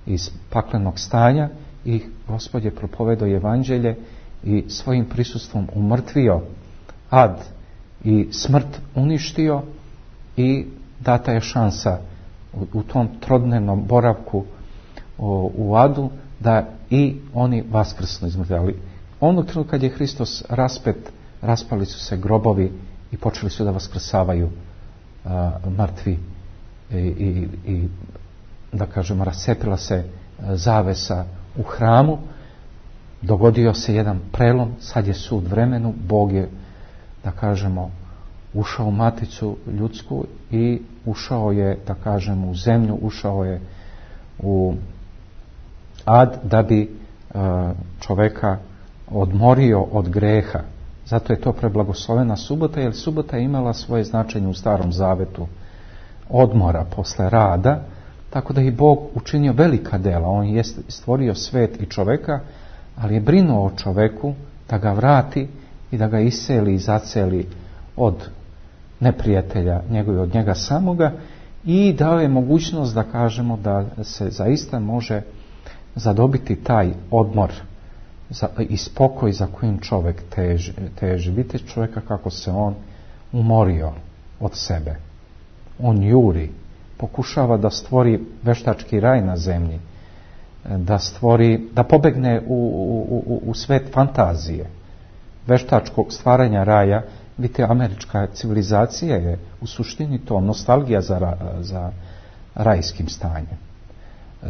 iz paklenog stanja, i Gospod je propovedao evanđelje i svojim prisustvom umrtvio ad i smrt uništio, i data je šansa u, u tom trodnevnom boravku o, u adu, da i oni vaskrsnu iz mrtvih. Ali onog trenutka kad je Hristos raspet, raspali su se grobovi i počeli su da vaskrsavaju a, mrtvi i, i, i da kažemo, rascepila se zavesa u hramu, dogodio se jedan prelom, sad je sud vremenu, Bog je, da kažemo, ušao u maticu ljudsku i ušao je, da kažemo, u zemlju, ušao je u ad, da bi čoveka odmorio od greha. Zato je to preblagoslovena subota, jer subota je imala svoje značenje u Starom Zavetu odmora posle rada. Tako da i Bog učinio velika dela. On je stvorio svet i čoveka, ali je brinuo o čoveku da ga vrati i da ga iseli i zaceli od neprijatelja njegovi, od njega samoga, i dao je mogućnost, da kažemo, da se zaista može zadobiti taj odmor za, i spokoj za kojim čovek teži. teži. Vidite čoveka kako se on umorio od sebe. On juri, pokušava da stvori veštački raj na zemlji, da stvori, da pobegne u, u, u, u svet fantazije, veštačkog stvaranja raja. Vidite, američka civilizacija je u suštini to nostalgija za, za rajskim stanjem.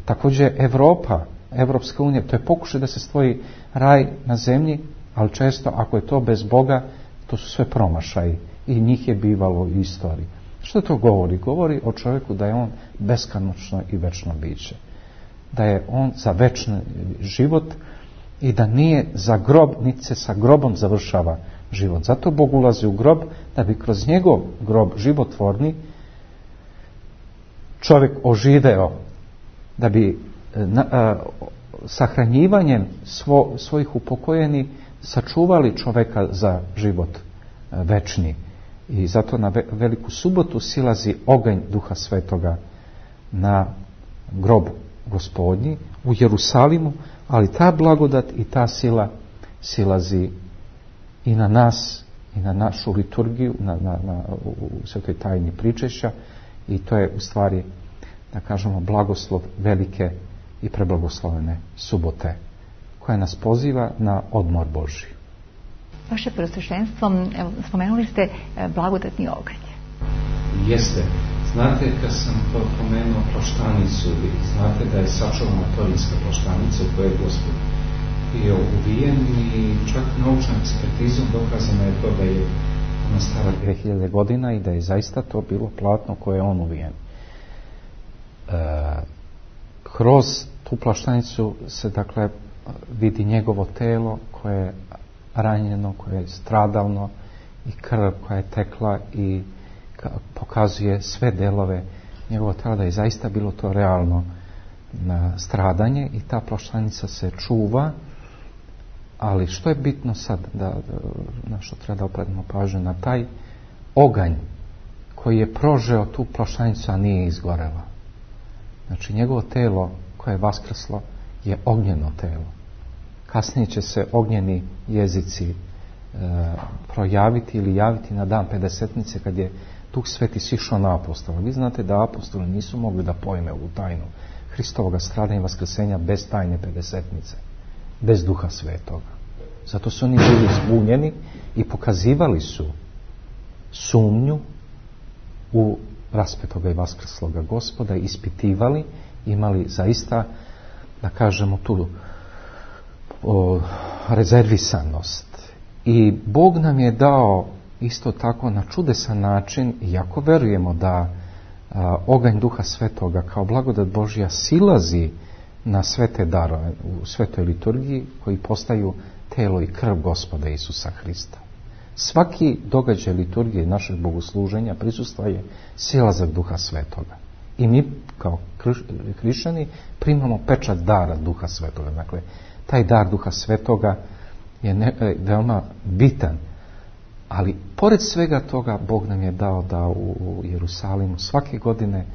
Također Evropa, Evropska unija, to je pokušaj da se stvori raj na zemlji, ali često ako je to bez Boga, to su sve promašaji i njih je bivalo u istoriji. Što to govori? Govori o čovjeku da je on beskonačno i večno biće. Da je on za večni život i da nije za grob, niti se sa grobom završava život. Zato Bog ulazi u grob da bi kroz njegov grob životvorni čovjek oživeo, da bi na, a, sahranjivanjem svo, svojih upokojeni sačuvali čovjeka za život a, večni. I zato na veliku subotu silazi oganj Duha Svetoga na grob Gospodnji u Jerusalimu, ali ta blagodat i ta sila silazi i na nas, i na našu liturgiju, na, na, na, u svetoj tajni pričešća, i to je u stvari, da kažemo, blagoslov velike i preblagoslovene subote, koja nas poziva na odmor Božji. Vaše Preosveštenstvo, spomenuli ste blagodatni oganj. Jeste. Znate, kad sam pomenuo plaštanicu, znate da je sačuvana torinska plaštanica u kojoj je Gospod bio uvijen, i čak naučnom ekspertizom dokazano je to da je ona stara dvije hiljade godina i da je zaista to bilo platno koje je on uvijen. E, kroz tu plaštanicu se, dakle, vidi njegovo telo koje je ranjeno, koje je stradalno, i krv koja je tekla i pokazuje sve delove njegovog tela, da je zaista bilo to realno na stradanje, i ta plaštanica se čuva. Ali što je bitno sad, da, na što treba da opredimo pažnju, na taj oganj koji je prožeo tu plaštanicu, a nije izgorela. Znači, njegovo telo koje je vaskrslo je ognjeno telo. Kasnije će se ognjeni jezici e, projaviti ili javiti na dan Pedesetnice, kad je Duh Sveti sišao na apostola. Vi znate da apostoli nisu mogli da pojme u tajnu Hristovoga stradanja i vaskrsenja bez tajne Pedesetnice, bez Duha Svetoga. Zato su oni bili zbunjeni i pokazivali su sumnju u raspetoga i vaskrsloga Gospoda, ispitivali, imali zaista, da kažemo, tu o, rezervisanost. I Bog nam je dao isto tako na čudesan način, iako verujemo da a, oganj Duha Svetoga kao blagodat Božja silazi na svete darove u svetoj liturgiji, koji postaju telo i krv Gospoda Isusa Hrista. Svaki događaj liturgije našeg bogosluženja prisustva je silazak Duha Svetoga. I mi kao hrišćani primamo pečat dara Duha Svetoga. Dakle, taj dar Duha Svetoga je ne, veoma bitan. Ali pored svega toga, Bog nam je dao da u, u Jerusalimu svake godine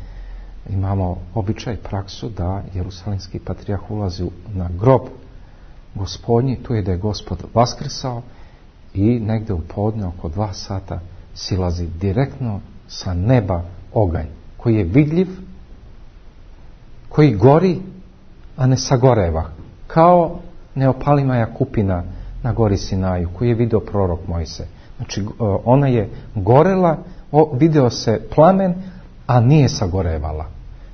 imamo običaj, praksu da jerusalimski patrijarh ulazi na grob Gospodnji, tu je da je Gospod vaskrsao, i negde u podne oko dva sata silazi direktno sa neba oganj koji je vidljiv, koji gori, a ne sagoreva, kao neopalimaja kupina na gori Sinaju koji je video prorok Mojsije. Znači, ona je gorela, video se plamen, a nije sagorevala.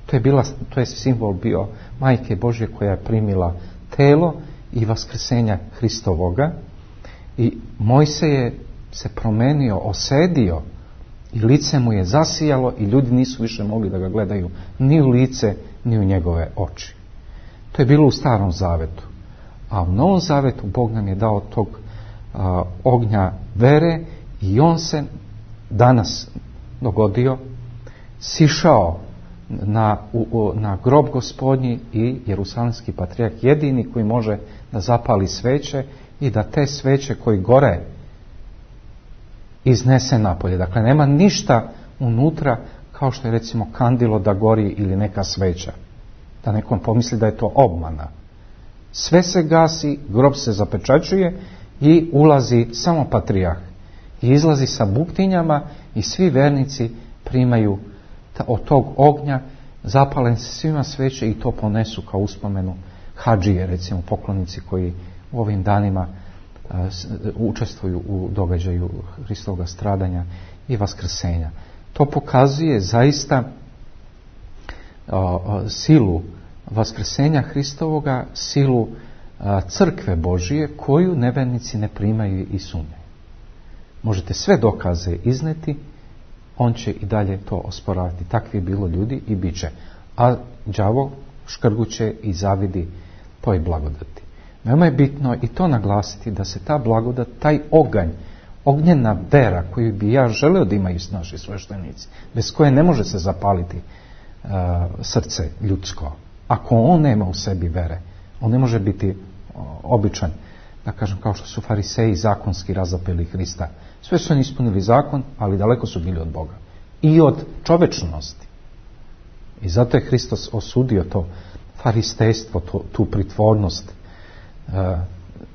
To je, bila, to je simbol bio Majke Božje koja je primila telo i vaskrsenja Hristovoga, i Mojsije je se promenio, osedio, i lice mu je zasijalo, i ljudi nisu više mogli da ga gledaju ni u lice, ni u njegove oči. To je bilo u Starom Zavetu. A u Novom Zavetu Bog nam je dao tog a, ognja vere, i on se danas dogodio, sišao na, u, na grob Gospodnji, i jerusalimski patrijarh jedini koji može da zapali sveće i da te sveće koji gore iznese napolje. Dakle, nema ništa unutra kao što je recimo kandilo da gori ili neka sveća. Da nekom pomisli da je to obmana. Sve se gasi, grob se zapečaćuje i ulazi samo patrijarh. I izlazi sa buktinjama, i svi vernici primaju ta, od tog ognja, zapalen se svima sveće i to ponesu kao uspomenu hadžije, recimo poklonici koji u ovim danima a, s, učestvuju u događaju Hristovog stradanja i vaskrsenja. To pokazuje zaista a, a, silu vaskrsenja Hristovoga, silu a, crkve Božije koju nevernici ne primaju i sumnjaju. Možete sve dokaze izneti, on će i dalje to osporavati. Takvi je bilo ljudi i bit će. A đavo škrguće i zavidi toj blagodati. Veoma je bitno i to naglasiti da se ta blagodat, taj oganj, ognjena vera koju bi ja želeo da imaju naši sveštenici, bez koje ne može se zapaliti uh, srce ljudsko. Ako on nema u sebi vere, on ne može biti uh, običan, da kažem, kao što su fariseji zakonski razapeli Hrista. Sve su oni ispunili zakon, ali daleko su bili od Boga. I od čovečnosti. I zato je Hristos osudio to faristejstvo, to, tu pritvornost, e,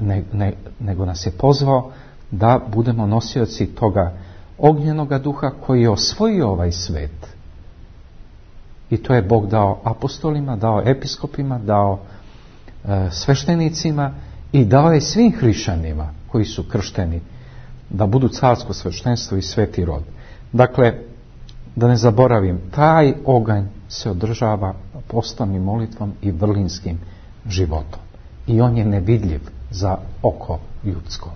ne, ne, nego nas je pozvao da budemo nosioci toga ognjenoga duha koji je osvojio ovaj svet. I to je Bog dao apostolima, dao episkopima, dao e, sveštenicima i dao je svim hrišćanima koji su kršteni da budu carsko sveštenstvo i sveti rod. Dakle, da ne zaboravim, taj oganj se održava postom i molitvom i vrlinskim životom. I on je nevidljiv za oko ljudsko.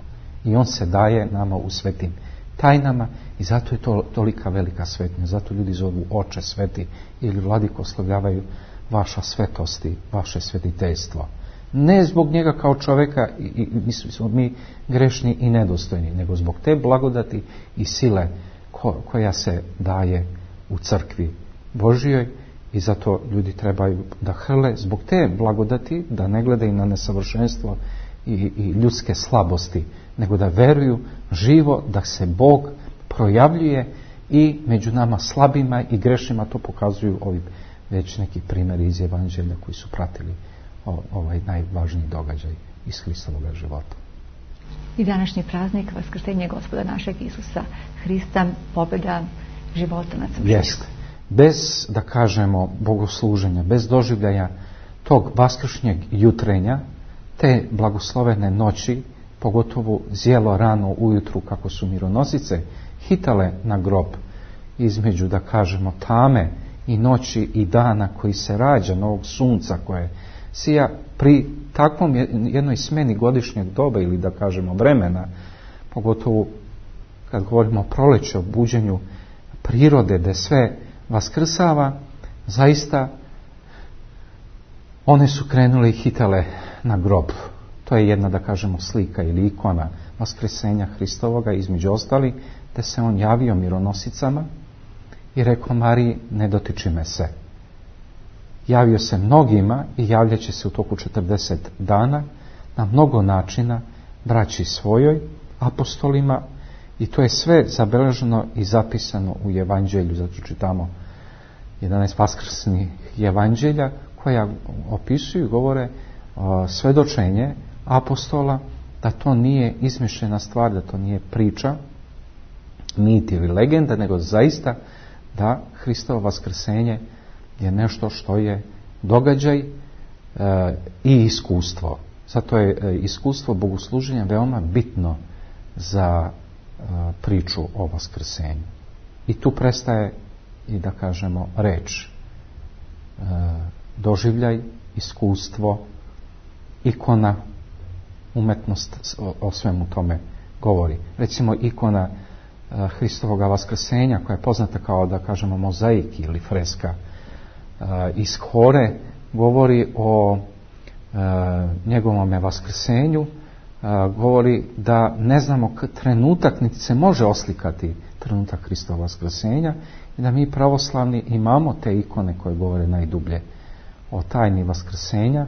I on se daje nama u svetim tajnama i zato je to tolika velika svetnja. Zato ljudi zovu oče sveti ili vladiko slavljavaju vaša svetosti, vaše svetiteljstvo. Ne zbog njega kao čoveka, i, i, mi smo mi grešni i nedostojni, nego zbog te blagodati i sile ko, koja se daje u crkvi Božijoj i zato ljudi trebaju da hrle zbog te blagodati, da ne gledaju na nesavršenstvo i, i ljudske slabosti, nego da veruju živo da se Bog projavljuje i među nama slabima i grešnima. To pokazuju ovi već neki primjeri iz Evanđelja koji su pratili ovaj najvažniji događaj iz Hristovog života. I današnji praznik vaskrsenje Gospoda našeg Isusa Hrista, pobjeda života nad smrću. Jeste. Bez, da kažemo, bogosluženja, bez doživljaja tog vaskršnjeg jutrenja, te blagoslovene noći, pogotovo zjelo rano ujutru kako su mironosice hitale na grob između, da kažemo, tame i noći i dana koji se rađa, novog sunca koje sija pri takvom jednoj smeni godišnjeg doba ili da kažemo vremena, pogotovo kad govorimo o proleću, o buđenju prirode, da sve vaskrsava, zaista one su krenule i hitale na grob. To je jedna, da kažemo, slika ili ikona vaskrsenja Hristovoga, između ostali, da se on javio mironosicama i rekao Mariji, ne dotiči me se. Javio se mnogima i javljaće se u toku četrdeset dana na mnogo načina braći svojoj, apostolima, i to je sve zabeleženo i zapisano u Evanđelju. Zato čitamo jedanaest vaskrsnih Evanđelja koja opisuju, govore o, svedočenje apostola da to nije izmišljena stvar, da to nije priča, mit ili legenda, nego zaista da Hristovo vaskrsenje je nešto što je događaj e, i iskustvo. Zato je e, iskustvo bogosluženja veoma bitno za e, priču o vaskrsenju. I tu prestaje i, da kažemo, reč. E, doživljaj, iskustvo, ikona, umetnost o, o svemu tome govori. Recimo ikona e, Hristovoga vaskrsenja koja je poznata kao, da kažemo, mozaik ili freska iz Hore, govori o e, njegovome vaskrsenju, e, govori da ne znamo trenutak niti se može oslikati trenutak Hristova vaskrsenja i da mi pravoslavni imamo te ikone koje govore najdublje o tajni vaskrsenja,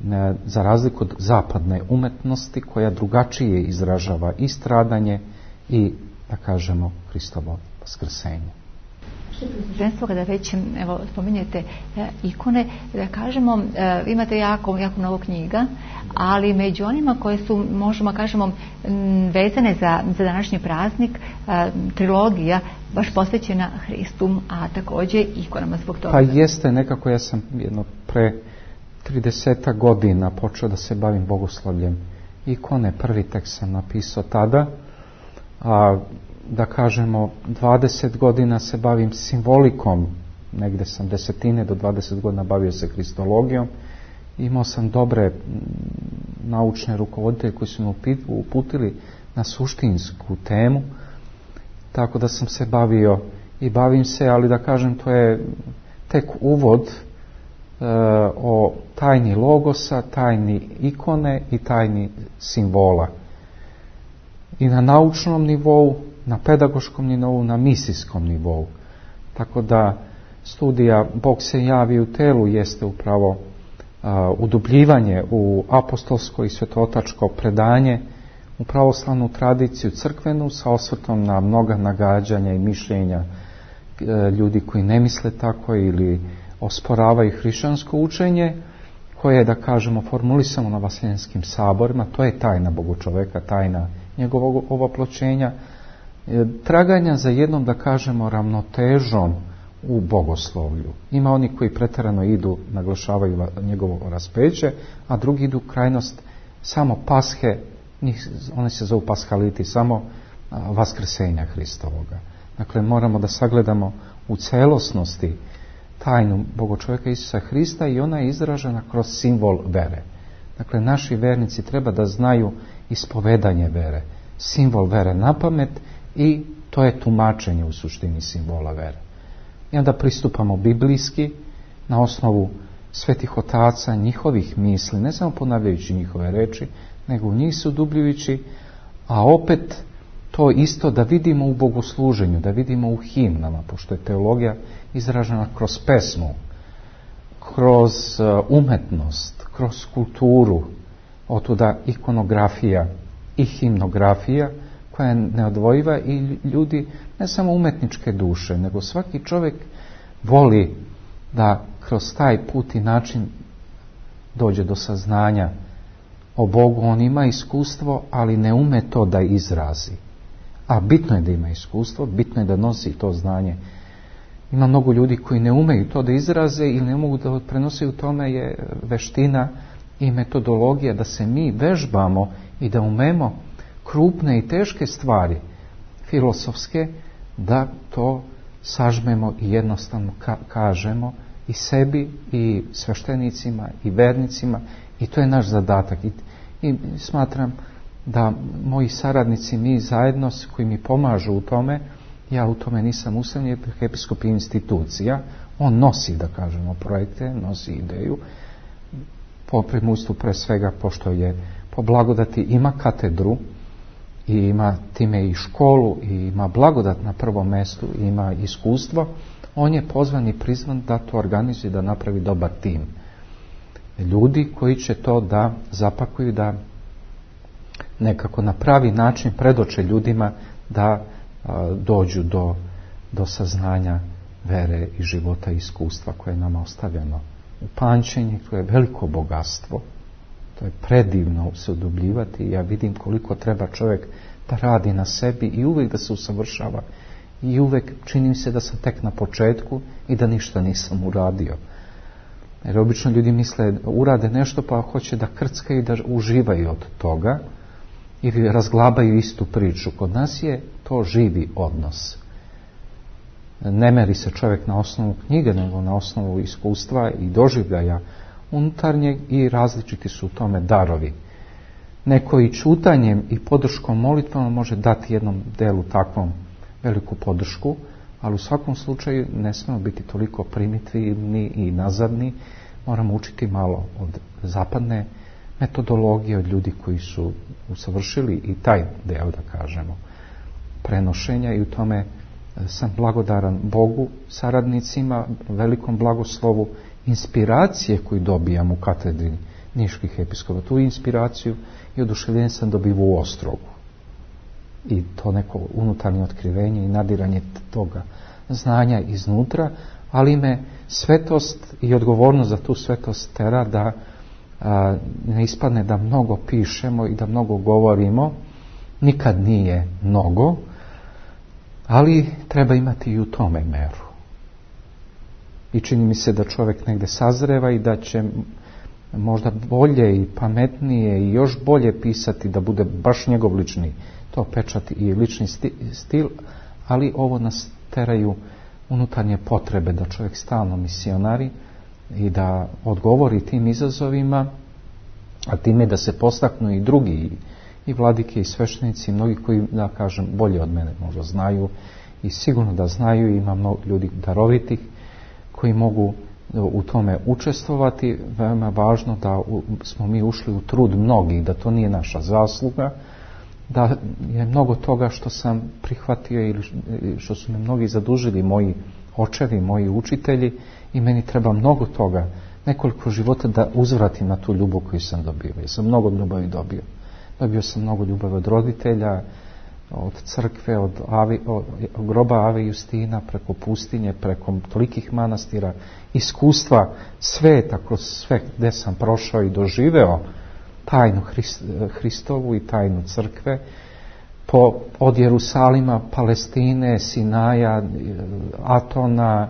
ne, za razliku od zapadne umetnosti koja drugačije izražava i stradanje i, da kažemo, Hristovo vaskrsenje. Ženstvo, kada već evo, spominjete e, ikone, da kažemo, e, imate jako, jako mnogo knjiga, ali među onima koje su, možemo kažemo, m, vezane za, za današnji praznik, e, trilogija baš posvećena Hristu, a također ikonama zbog toga. Pa jeste, nekako ja sam jedno pre tridesetak godina počeo da se bavim bogoslovljem ikone. Prvi tekst sam napisao tada, a da kažemo dvadeset godina se bavim simbolikom, negde sam desetine do dvadeset godina bavio se kristologijom. Imao sam dobre naučne rukovoditelje koji su me uputili na suštinsku temu, tako da sam se bavio i bavim se, ali da kažem to je tek uvod e, o tajni logosa, tajni ikone i tajni simbola. I na naučnom nivou, na pedagoškom nivou, na misijskom nivou. Tako da studija Bog se javi u telu jeste upravo uh, udubljivanje u apostolsko i svetotačko predanje, u pravoslavnu tradiciju crkvenu sa osvrtom na mnoga nagađanja i mišljenja uh, ljudi koji ne misle tako ili osporavaju hrišćansko učenje, koje je, da kažemo, formulisano na vaseljenskim saborima. To je tajna Bogočoveka, tajna njegovog ovoploćenja, e, traganja za jednom, da kažemo, ravnotežom u bogoslovlju. Ima oni koji pretjerano idu, naglašavaju njegovo raspeće, a drugi idu krajnost samo pashe, njih, oni se zovu pashaliti, samo a, vaskrsenja Hristovoga. Dakle, moramo da sagledamo u celosnosti tajnu Bogočoveka Isusa Hrista i ona je izražena kroz simbol vere. Dakle, naši vernici treba da znaju ispovedanje vere, simbol vere na pamet i to je tumačenje u suštini simbola vere. I onda pristupamo biblijski na osnovu svetih otaca, njihovih misli, ne samo ponavljajući njihove reči, nego u njih se udubljujući, a opet to isto da vidimo u bogosluženju, da vidimo u himnama, pošto je teologija izražena kroz pesmu, kroz umetnost, kroz kulturu, otuda ikonografija i himnografija koja je neodvojiva i ljudi ne samo umetničke duše, nego svaki čovjek voli da kroz taj put i način dođe do saznanja o Bogu. On ima iskustvo, ali ne ume to da izrazi. A bitno je da ima iskustvo, bitno je da nosi to znanje. Ima mnogo ljudi koji ne umeju to da izraze ili ne mogu da prenose, u tome je veština i metodologija da se mi vežbamo i da umemo krupne i teške stvari filosofske, da to sažmemo i jednostavno ka- kažemo i sebi i sveštenicima i vernicima, i to je naš zadatak. I, i smatram da moji saradnici, mi zajedno koji mi pomažu u tome, ja u tome nisam ustavljen, episkop institucija, on nosi, da kažemo, projekte, nosi ideju, po primustvu pre svega, pošto je po blagodati ima katedru i ima time i školu i ima blagodat na prvom mjestu i ima iskustvo, on je pozvan i prizvan da to organizuje, da napravi dobar tim ljudi koji će to da zapakuju, da nekako na pravi način predoče ljudima da a, dođu do, do saznanja vere i života i iskustva koje je nama ostavljeno u pamćenju. To je veliko bogatstvo, to je predivno se udubljivati. Ja vidim koliko treba čovjek da radi na sebi i uvijek da se usavršava i uvijek čini se da sam tek na početku i da ništa nisam uradio. Jer obično ljudi misle, urade nešto pa hoće da krckaju i da uživaju od toga i razglabaju istu priču. Kod nas je to živi odnos. Ne meri se čovjek na osnovu knjige, nego na osnovu iskustva i doživljaja unutarnjeg, i različiti su u tome darovi. Neko i čutanjem i podrškom molitvama može dati jednom delu takvom veliku podršku, ali u svakom slučaju ne smemo biti toliko primitivni i nazadni. Moramo učiti malo od zapadne metodologije, od ljudi koji su usavršili i taj deo, da kažemo, prenošenja, i u tome sam blagodaran Bogu, saradnicima, velikom blagoslovu, inspiracije koju dobijam u katedri niških episkopa. Tu inspiraciju i oduševljenje sam dobivao u Ostrogu. I to neko unutarnje otkrivenje i nadiranje toga znanja iznutra, ali me svetost i odgovornost za tu svetost tera da a, ne ispadne da mnogo pišemo i da mnogo govorimo. Nikad nije mnogo, ali treba imati i u tome meru. I čini mi se da čovjek negdje sazreva i da će možda bolje i pametnije i još bolje pisati da bude baš njegov lični to pečat i lični stil, ali ovo nas teraju unutarnje potrebe da čovjek stalno misionari i da odgovori tim izazovima, a time da se postaknu i drugi, i vladike i sveštenici, i mnogi koji, da kažem, bolje od mene možda znaju i sigurno da znaju, i ima mnogo ljudi darovitih koji mogu u tome učestvovati. Veoma važno da smo mi ušli u trud mnogih, da to nije naša zasluga, da je mnogo toga što sam prihvatio ili što su me mnogi zadužili, moji očevi, moji učitelji, i meni treba mnogo toga, nekoliko života da uzvratim na tu ljubav koju sam dobio. Ja sam mnogo ljubavi dobio. Dobio sam mnogo ljubavi od roditelja, od crkve, od, Avi, od groba Ave Justina, preko pustinje, preko tolikih manastira, iskustva sveta, kroz sve gde sam prošao i doživeo tajnu Hrist, Hristovu i tajnu crkve, po, od Jerusalima, Palestine, Sinaja, Atona,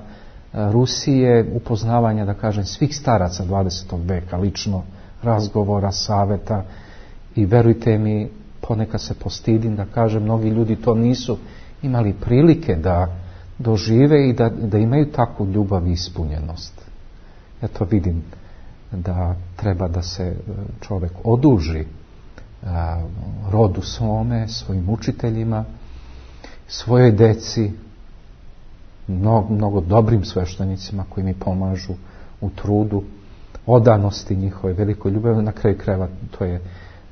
Rusije, upoznavanja, da kažem, svih staraca dvadesetog veka, lično, razgovora, saveta, i verujte mi, ponekad se postidim da kažem, mnogi ljudi to nisu imali prilike da dožive i da, da imaju takvu ljubav i ispunjenost. Ja to vidim da treba da se čovjek oduži a, rodu svome, svojim učiteljima, svojoj deci, mnogo, mnogo dobrim sveštenicima koji mi pomažu u trudu, odanosti njihove, velikoj ljubavi. Na kraju krajeva to je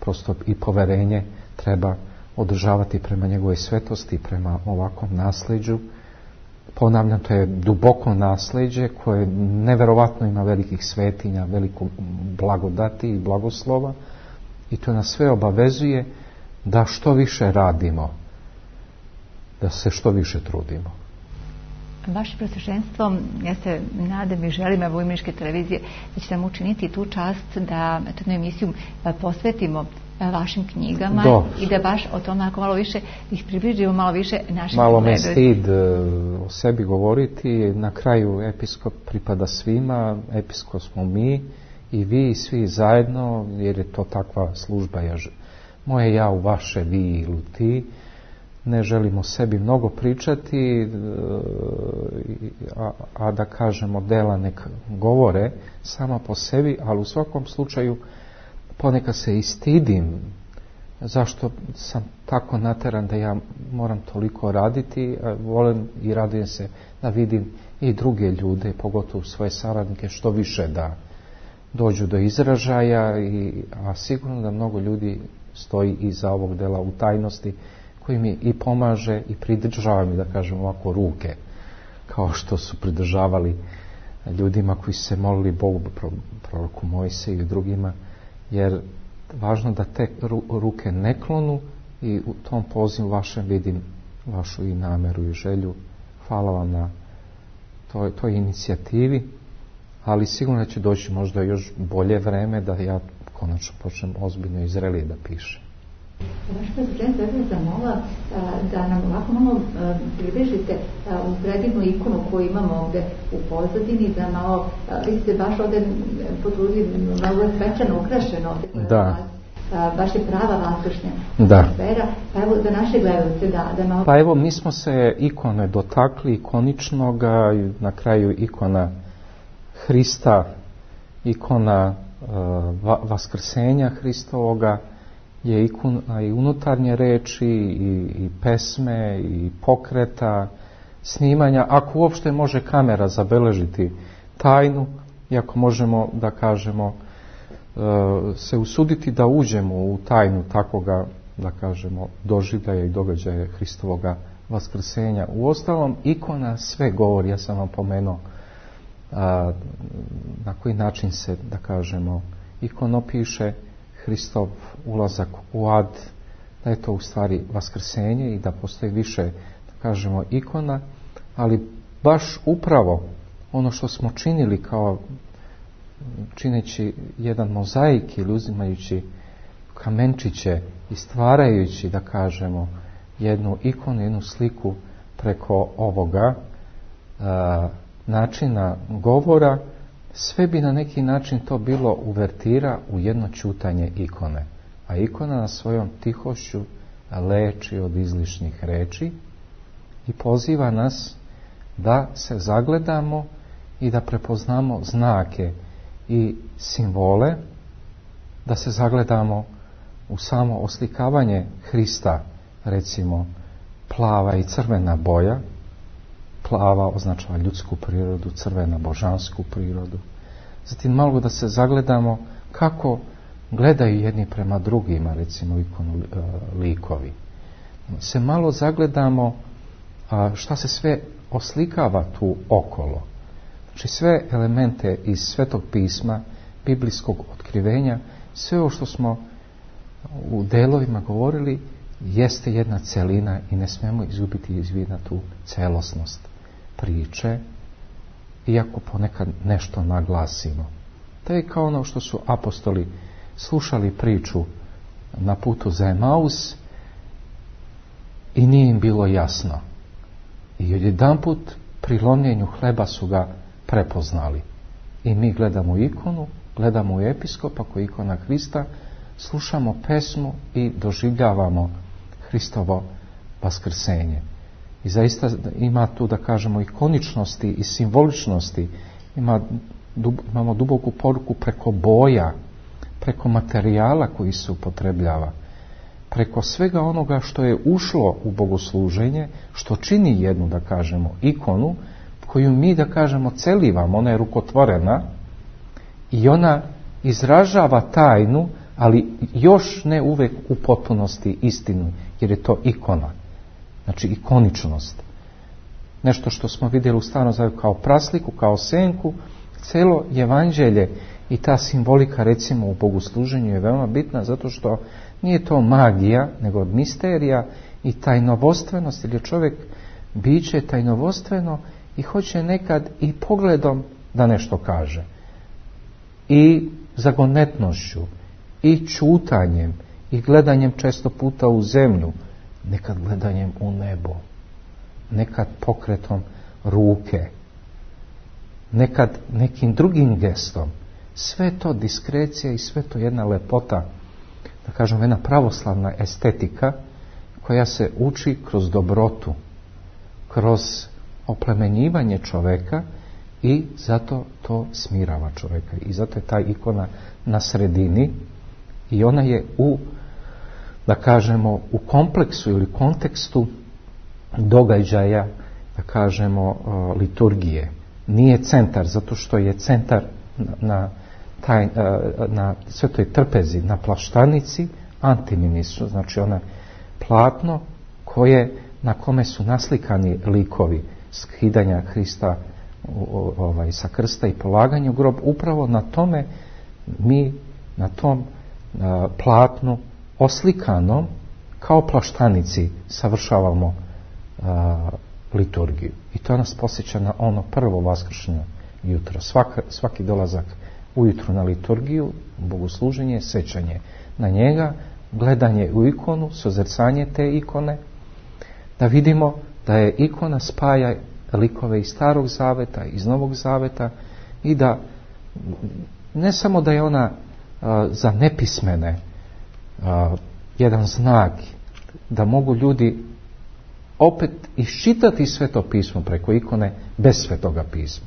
prosto i poverenje treba održavati prema njegovoj svetosti, prema ovakvom nasleđu. Ponavljam, to je duboko nasleđe koje neverovatno ima velikih svetinja, veliko blagodati i blagoslova, i to nas sve obavezuje da što više radimo, da se što više trudimo. Vaše presveštenstvo, ja se nadam i želim, evo, Imeničke televizije, da će nam učiniti tu čast da jednu emisiju posvetimo vašim knjigama. Dobro. I da baš o tome ako malo više ih približimo, malo više našim malo me stid o sebi govoriti. Na kraju episkop pripada svima, episkop smo mi i vi i svi zajedno, jer je to takva služba. Ja, moje ja u vaše, vi ili ti. Ne želimo sebi mnogo pričati, a, a da kažemo dela nek govore sama po sebi, ali u svakom slučaju ponekad se i stidim zašto sam tako nateran da ja moram toliko raditi. Volim i radujem se da vidim i druge ljude, pogotovo svoje saradnike, što više da dođu do izražaja, i, a sigurno da mnogo ljudi stoji iza ovog dela u tajnosti, koji mi i pomaže i pridržava mi, da kažem ovako, ruke, kao što su pridržavali ljudima koji su se molili Bogu, proroku Mojsiju i drugima, jer važno da te ruke ne klonu, i u tom pozivu vašem vidim vašu i nameru i želju. Hvala vam na toj, toj inicijativi, ali sigurno će doći možda još bolje vreme da ja konačno počnem ozbiljno i zrelije da pišem. Vaš prezident, ja bih zamola da nam ovako malo približite u predivnu ikonu koju imamo ovde u pozadini, da malo, vi ste baš ovde potrudili, malo je svečano ukrašeno ovde. Da. Baš je prava vaskršnja da. Sfera. Pa evo, za naše gledalce, da, da malo... Pa evo, mi smo se ikone dotakli, ikoničnoga, na kraju ikona Hrista, ikona uh, va, vaskrsenja Hristovoga, je ikona i unutarnje reči, i, i pesme, i pokreta, snimanja, ako uopšte može kamera zabeležiti tajnu, i ako možemo, da kažemo, se usuditi da uđemo u tajnu takvoga, da kažemo, doživljaja i događaja Hristovoga vaskrsenja. Uostalom, ikona sve govori. Ja sam vam pomenuo a, na koji način se, da kažemo, ikono piše Hristov ulazak u ad, da je to u stvari vaskrsenje i da postoji više, da kažemo, ikona, ali baš upravo ono što smo činili kao čineći jedan mozaik ili uzimajući kamenčiće i stvarajući, da kažemo, jednu ikonu, jednu sliku preko ovoga a, načina govora, sve bi na neki način to bilo uvertira u jedno ćutanje ikone. A ikona na svojom tihošću leči od izlišnih reči i poziva nas da se zagledamo i da prepoznamo znake i simbole, da se zagledamo u samo oslikavanje Hrista, recimo plava i crvena boja. Plava označava ljudsku prirodu, crvena božansku prirodu. Zatim malo da se zagledamo kako gledaju jedni prema drugima, recimo ikonu e, likovi. Se malo zagledamo a, šta se sve oslikava tu okolo. Znači sve elemente iz Svetog pisma, biblijskog otkrivenja, sve ovo što smo u delovima govorili jeste jedna celina i ne smijemo izgubiti iz vida tu celosnost priče, iako ponekad nešto naglasimo. To je kao ono što su apostoli slušali priču na putu za Emaus i nije im bilo jasno. I odjedanput pri lomljenju hleba su ga prepoznali. I mi gledamo ikonu, gledamo u episkopa koji je ikona Hrista, slušamo pesmu i doživljavamo Hristovo vaskrsenje. I zaista ima tu, da kažemo, ikoničnosti i simboličnosti. Ima, dub, imamo duboku poruku preko boja, preko materijala koji se upotrebljava, preko svega onoga što je ušlo u bogosluženje, što čini jednu, da kažemo, ikonu, koju mi, da kažemo, celivamo. Ona je rukotvorena i ona izražava tajnu, ali još ne uvek u potpunosti istinu, jer je to ikona. Znači ikoničnost. Nešto što smo vidjeli u Starom Zavjetu kao prasliku, kao senku, celo evanđelje i ta simbolika, recimo, u bogosluženju je veoma bitna, zato što nije to magija, nego misterija i tajnovostvenost, jer je čovjek biće tajnovostveno i hoće nekad i pogledom da nešto kaže. I zagonetnošću, i čutanjem, i gledanjem često puta u zemlju, nekad gledanjem u nebo, nekad pokretom ruke, nekad nekim drugim gestom. Sve to diskrecija i sve to jedna lepota, da kažem, jedna pravoslavna estetika koja se uči kroz dobrotu, kroz oplemenjivanje čoveka i zato to smirava čoveka. I zato je ta ikona na sredini i ona je u, da kažemo, u kompleksu ili kontekstu događaja, da kažemo, liturgije. Nije centar, zato što je centar na, na, taj, na Svetoj trpezi, na plaštanici, antiminisu, znači ona platno koje, na kome su naslikani likovi skidanja Hrista ovaj, sa krsta i polaganja u grob. Upravo na tome mi, na tom a, platnu oslikanom kao plaštanici savršavamo a, liturgiju. I to nas posjeća na ono prvo vaskršnje jutro. Svaka, svaki dolazak ujutro na liturgiju, bogosluženje, sećanje na njega, gledanje u ikonu, sozrcanje te ikone, da vidimo da je ikona spaja likove iz Starog Zaveta, iz Novog Zaveta i da ne samo da je ona a, za nepismene a, jedan znak da mogu ljudi opet iščitati Sveto pismo preko ikone bez Svetoga pisma.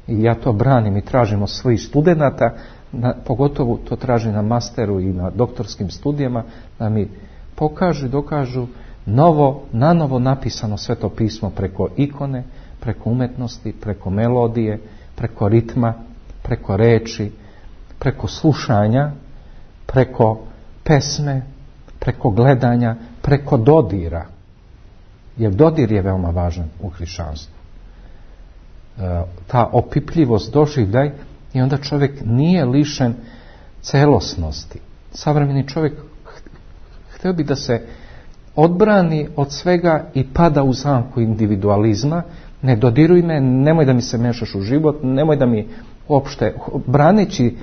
I ja to branim i tražim od svojih studenata, na, pogotovo to tražim na masteru i na doktorskim studijama, da mi pokažu i dokažu novo, nanovo napisano Sveto pismo preko ikone, preko umetnosti, preko melodije, preko ritma, preko reči, preko slušanja, preko pesme, preko gledanja, preko dodira. Jer dodir je veoma važan u hrišćanstvu. E, ta opipljivost, doživljaj, i onda čovjek nije lišen celosnosti. Savremeni čovjek htio bi da se odbrani od svega i pada u zamku individualizma. Ne dodiruj me, nemoj da mi se mešaš u život, nemoj da mi uopšte, braneći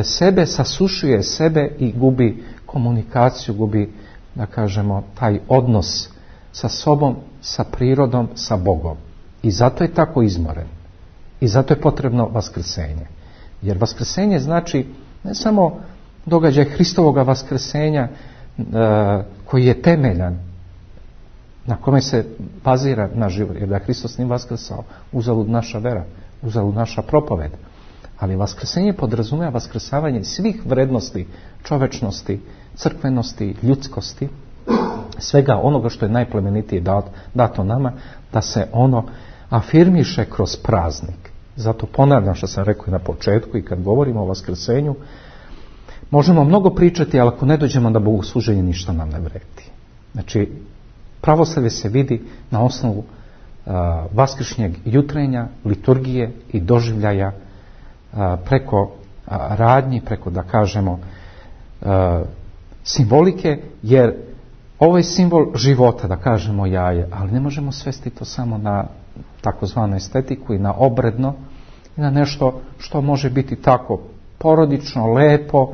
sebe, sasušuje sebe i gubi komunikaciju, gubi, da kažemo, taj odnos sa sobom, sa prirodom, sa Bogom. I zato je tako izmoren. I zato je potrebno vaskrsenje. Jer vaskrsenje znači ne samo događaj Hristovoga vaskrsenja e, koji je temeljan, na kome se bazira naš život, jer da je Hristos nije vaskrsao, uzalud naša vera, uzalud naša propoved. Ali vaskrsenje podrazumijeva vaskrsavanje svih vrednosti, čovečnosti, crkvenosti, ljudskosti, svega onoga što je najplemenitije dato nama, da se ono afirmiše kroz praznik. Zato ponavljam što sam rekao i na početku i kad govorimo o vaskrsenju, možemo mnogo pričati, ali ako ne dođemo da bogosluženje, ništa nam ne vredi. Znači, pravoslavlje se vidi na osnovu uh, vaskršnjeg jutrenja, liturgije i doživljaja uh, preko uh, radnji, preko, da kažemo, uh, simbolike, jer ovo je simbol života, da kažemo jaje, ali ne možemo svesti to samo na takozvanu estetiku i na obredno i na nešto što može biti tako porodično, lepo,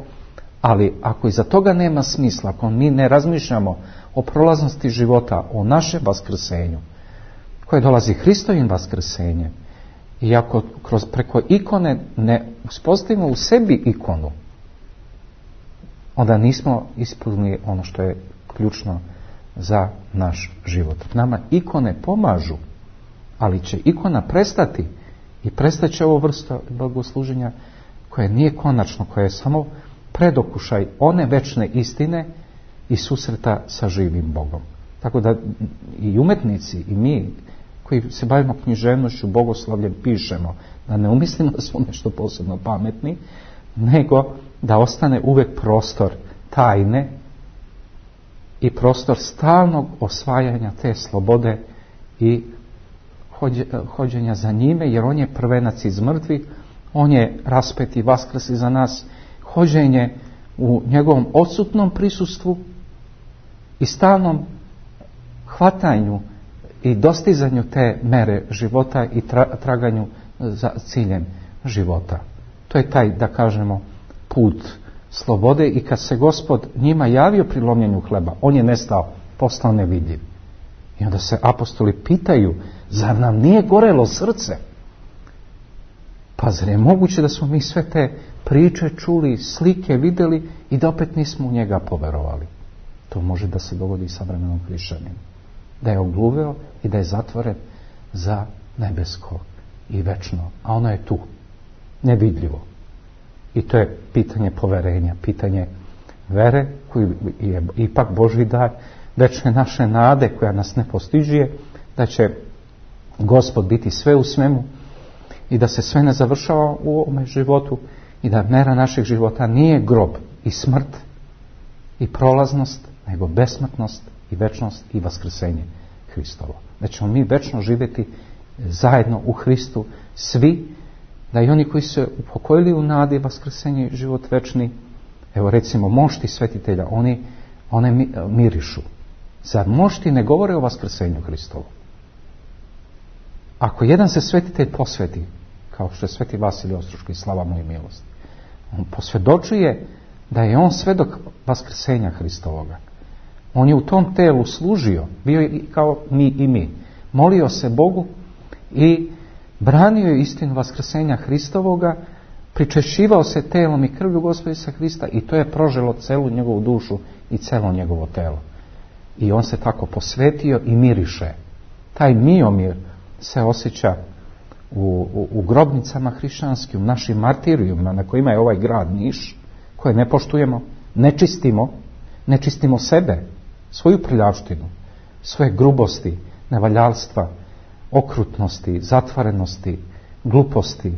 ali ako iza toga nema smisla, ako mi ne razmišljamo o prolaznosti života, o našem vaskrsenju, koje dolazi Hristovim vaskrsenjem, i ako kroz, preko ikone ne uspostavimo u sebi ikonu, onda nismo ispunili ono što je ključno za naš život. Nama ikone pomažu, ali će ikona prestati i prestaće ovo vrsta bogosluženja koje nije konačno, koje je samo predokušaj one večne istine i susreta sa živim Bogom. Tako da i umetnici i mi koji se bavimo književnošću, bogoslovljem, pišemo da ne umislimo da smo nešto posebno pametni, nego da ostane uvek prostor tajne i prostor stalnog osvajanja te slobode i hođenja za njime, jer on je prvenac iz mrtvih, on je raspet i vaskrsi za nas, hođenje u njegovom odsutnom prisustvu i stalnom hvatanju i dostizanju te mere života i tra, traganju za ciljem života. To je taj, da kažemo, put slobode, i kad se Gospod njima javio pri lomljenju hleba, on je nestao, postao nevidljiv. I onda se apostoli pitaju, zar nam nije gorelo srce? Pa zar je moguće da smo mi sve te priče čuli, slike vidjeli i da opet nismo u njega poverovali? To može da se dogodi i savremenom hrišćaninu. Da je ogluveo i da je zatvoren za nebesko i večno. A ono je tu, nevidljivo. I to je pitanje poverenja, pitanje vere, koji je ipak Božji dar, večne naše nade koja nas ne postižuje, da će Gospod biti sve u svemu i da se sve ne završava u ovome životu i da mera našeg života nije grob i smrt i prolaznost, nego besmrtnost i večnost i vaskrsenje Hristovo. Da ćemo mi večno živjeti zajedno u Hristu svi, da i oni koji se upokojili u nadi vaskrsenje i život večni, evo recimo mošti svetitelja, oni one mirišu. Zar mošti ne govore o vaskrsenju Hristovu? Ako jedan se svetitelj posveti, kao što je sveti Vasilij Ostroški, slava mu i milost, on posvjedočuje da je on svedok vaskrsenja Hristovoga. On je u tom telu služio, bio je kao mi i mi. Molio se Bogu i branio je istinu vaskrsenja Hristovoga, pričešćivao se telom i krvlju Gospoda Isusa Hrista i to je proželo celu njegovu dušu i celo njegovo telo. I on se tako posvetio i miriše. Taj miomir se osjeća u, u, u grobnicama hrišćanskim, u našim martirijima na kojima je ovaj grad Niš, koje ne poštujemo, ne čistimo, ne čistimo sebe, svoju prljavštinu, svoje grubosti, nevaljalstva, okrutnosti, zatvorenosti, gluposti,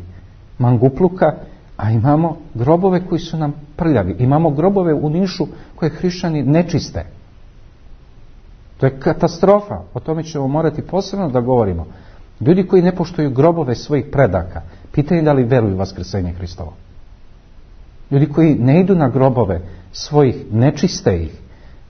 mangupluka, a imamo grobove koji su nam prljavi. Imamo grobove u Nišu koje hrišćani ne čiste. To je katastrofa. O tome ćemo morati posebno da govorimo. Ljudi koji ne poštuju grobove svojih predaka, pitanje da li veruju vaskrsenje Hristovo. Ljudi koji ne idu na grobove svojih, ne čiste ih,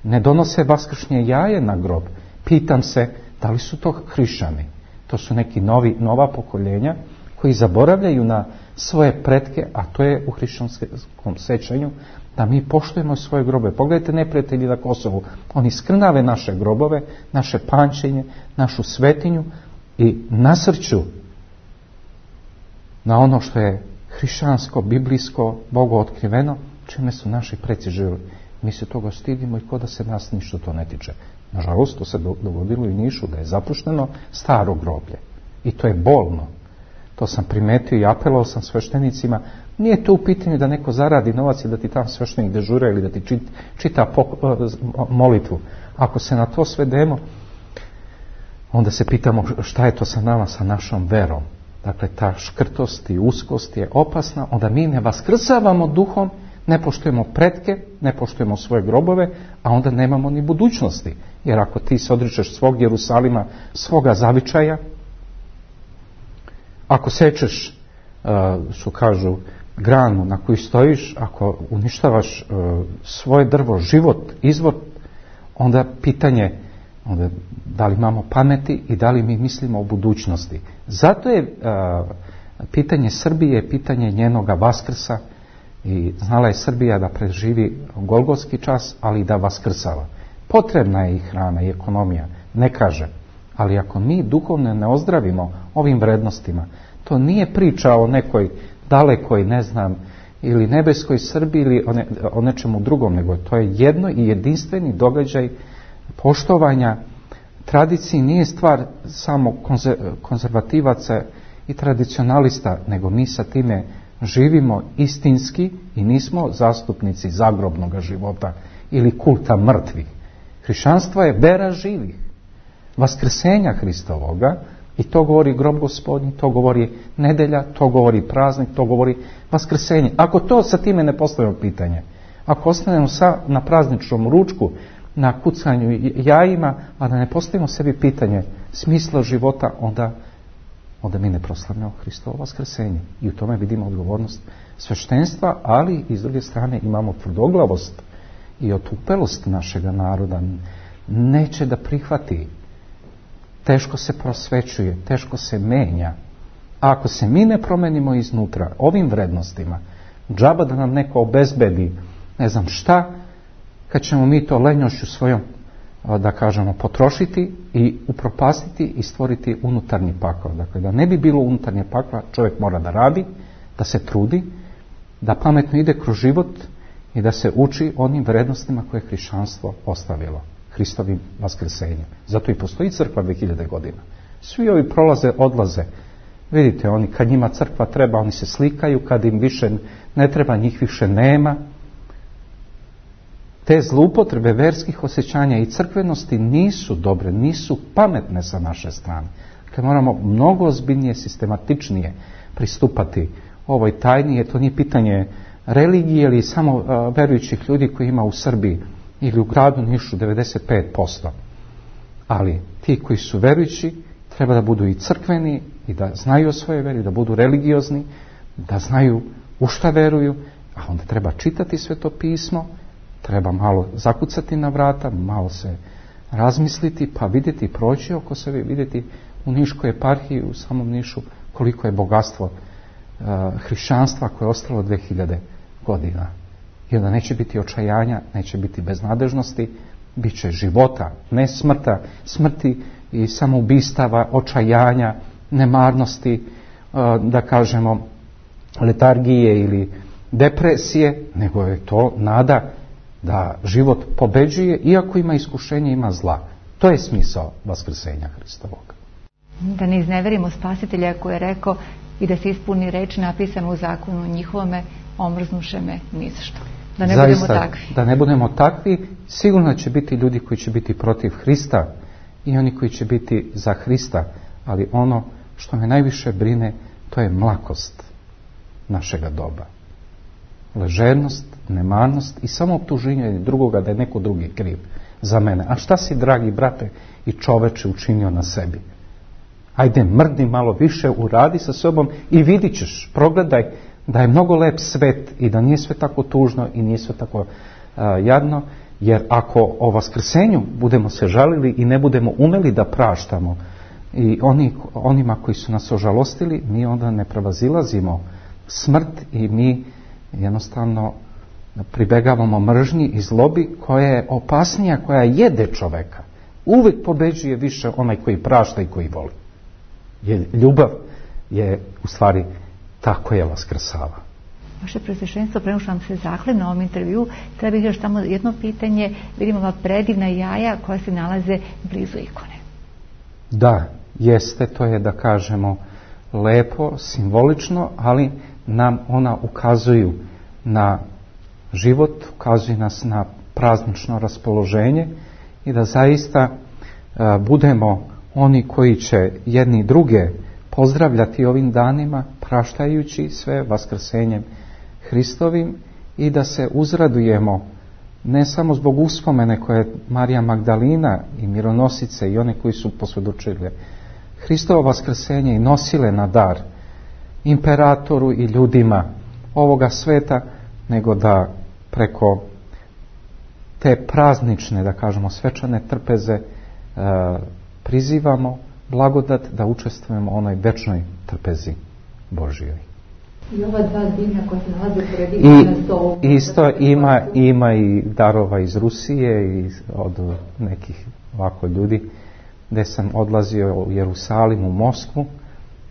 ne donose vaskršnje jaje na grob, pitam se da li su to hrišćani. To su neki novi, nova pokoljenja koji zaboravljaju na svoje pretke, a to je u hrišćanskom sećanju, da mi poštujemo svoje grobove. Pogledajte neprijatelji na Kosovu, oni skrnave naše grobove, naše pančenje, našu svetinju i nasrću na ono što je hrišćansko, biblijsko, Bogu otkriveno, čime su naši preci živjeli. Mi se toga stidimo i ko da se nas ništa to ne tiče. Nažalost, to se dogodilo i u Nišu, da je zapušteno staro groblje. I to je bolno. To sam primetio i apelovao sam sveštenicima. Nije to u pitanju da neko zaradi novac i da ti tam sveštenik dežura ili da ti čita, čita molitvu. Ako se na to svedemo, onda se pitamo šta je to sa nama, sa našom verom. Dakle, ta škrtost i uskost je opasna. Onda mi ne vaskrsavamo duhom, ne poštujemo pretke, ne poštujemo svoje grobove, a onda nemamo ni budućnosti. Jer ako ti se odričeš svog Jerusalima, svoga zavičaja, ako sečeš, što kažu, granu na koju stojiš, ako uništavaš svoje drvo, život, izvor, onda pitanje, onda da li imamo pameti i da li mi mislimo o budućnosti. Zato je pitanje Srbije, pitanje njenoga vaskrsa, i znala je Srbija da preživi golgotski čas, ali i da vaskrsava. Potrebna je i hrana i ekonomija, ne kaže. Ali ako mi duhovno ne ozdravimo ovim vrednostima, to nije priča o nekoj dalekoj, ne znam, ili nebeskoj Srbiji ili o, ne, o nečemu drugom, nego to je jedno i jedinstveni događaj poštovanja tradiciji. Nije stvar samo konzervativaca i tradicionalista, nego mi sa time živimo istinski i nismo zastupnici zagrobnog života ili kulta mrtvih. Hrišćanstvo je vera živih, vaskrsenja Hristovoga, i to govori grob Gospodnji, to govori nedelja, to govori praznik, to govori vaskrsenje. Ako to sa time ne postavimo pitanje, ako ostanemo sa, na prazničnom ručku, na kucanju jajima, a da ne postavimo sebi pitanje smisla života, onda onda mi ne proslavljamo Hristovo vaskrsenje. I u tome vidimo odgovornost sveštenstva, ali i s druge strane imamo tvrdoglavost i otupelost našega naroda. Neće da prihvati. Teško se prosvećuje, teško se menja. A ako se mi ne promenimo iznutra ovim vrednostima, džaba da nam neko obezbedi ne znam šta, kad ćemo mi to lenjošću svojom, da kažemo, potrošiti i upropastiti i stvoriti unutarnji pakao. Dakle, da ne bi bilo unutarnje pakla, čovjek mora da radi, da se trudi, da pametno ide kroz život i da se uči onim vrednostima koje je hrišćanstvo ostavilo, Hristovim vaskrsenjem. Zato i postoji crkva dve hiljade godina. Svi ovi prolaze, odlaze. Vidite, oni kad njima crkva treba, oni se slikaju, kad im više ne treba, njih više nema. Te zloupotrebe verskih osjećanja i crkvenosti nisu dobre, nisu pametne sa naše strane. Kad moramo mnogo ozbiljnije, sistematičnije pristupati ovoj tajni, jer to nije pitanje religije ili samo uh, verujućih ljudi koji ima u Srbiji ili u gradu Nišu devedeset pet posto. Ali ti koji su verujući treba da budu i crkveni i da znaju o svojoj veri, da budu religiozni, da znaju u šta veruju, a onda treba čitati Sveto pismo, treba malo zakucati na vrata, malo se razmisliti, pa vidjeti, proći oko sebe, vidjeti u Niškoj eparhiji, u samom Nišu, koliko je bogatstvo uh, hrišćanstva koje je ostalo dve hiljade godina. I onda neće biti očajanja, neće biti beznadežnosti, bit će života, ne smrta, smrti i samoubistava, očajanja, nemarnosti, uh, da kažemo, letargije ili depresije, nego je to nada da život pobeđuje, iako ima iskušenje, ima zla. To je smisao vaskrsenja Hristovog. Da ne izneverimo Spasitelja koji je rekao i da se ispuni reč napisano u zakonu njihovome, omrznuše me ni za što. Da ne Zaista, budemo takvi. Da ne budemo takvi, sigurno će biti ljudi koji će biti protiv Hrista i oni koji će biti za Hrista, ali ono što me najviše brine, to je mlakost našega doba. Ležernost, nemarnost i samo optuženje drugoga da je neko drugi kriv za mene. A šta si, dragi brate i čoveče, učinio na sebi? Ajde, mrdi malo više, uradi sa sobom i vidit ćeš, progledaj da je mnogo lep svet i da nije sve tako tužno i nije sve tako uh, jadno, jer ako o vaskrsenju budemo se žalili i ne budemo umeli da praštamo i oni, onima koji su nas ožalostili, mi onda ne prevazilazimo smrt i mi jednostavno pribegavamo mržnji i zlobi koja je opasnija, koja jede čoveka. Uvijek pobeđuje više onaj koji prašta i koji voli. Jer ljubav je u stvari tako je vaskrsava. Vaše Preosveštenstvo, prema što vam se zahvalim na ovom intervju, treba bih još tamo jedno pitanje. Vidimo ova predivna jaja koja se nalaze blizu ikone. Da, jeste, to je, da kažemo, lepo, simbolično, ali nam ona ukazuju na život, ukazuju nas na praznično raspoloženje i da zaista a, budemo oni koji će jedni druge pozdravljati ovim danima, praštajući sve vaskrsenjem Hristovim i da se uzradujemo ne samo zbog uspomene koje je Marija Magdalina i mironosice i one koji su posvjedočile Hristovo vaskrsenje i nosile na dar imperatoru i ljudima ovoga sveta, nego da preko te praznične, da kažemo, svečane trpeze e, prizivamo blagodat da učestvujemo u onoj večnoj trpezi Božjoj. I ova dva dimna koja se nalaze pored ikona su... Isto ima, ima i darova iz Rusije i od nekih ovako ljudi gdje sam odlazio u Jerusalim, u Moskvu.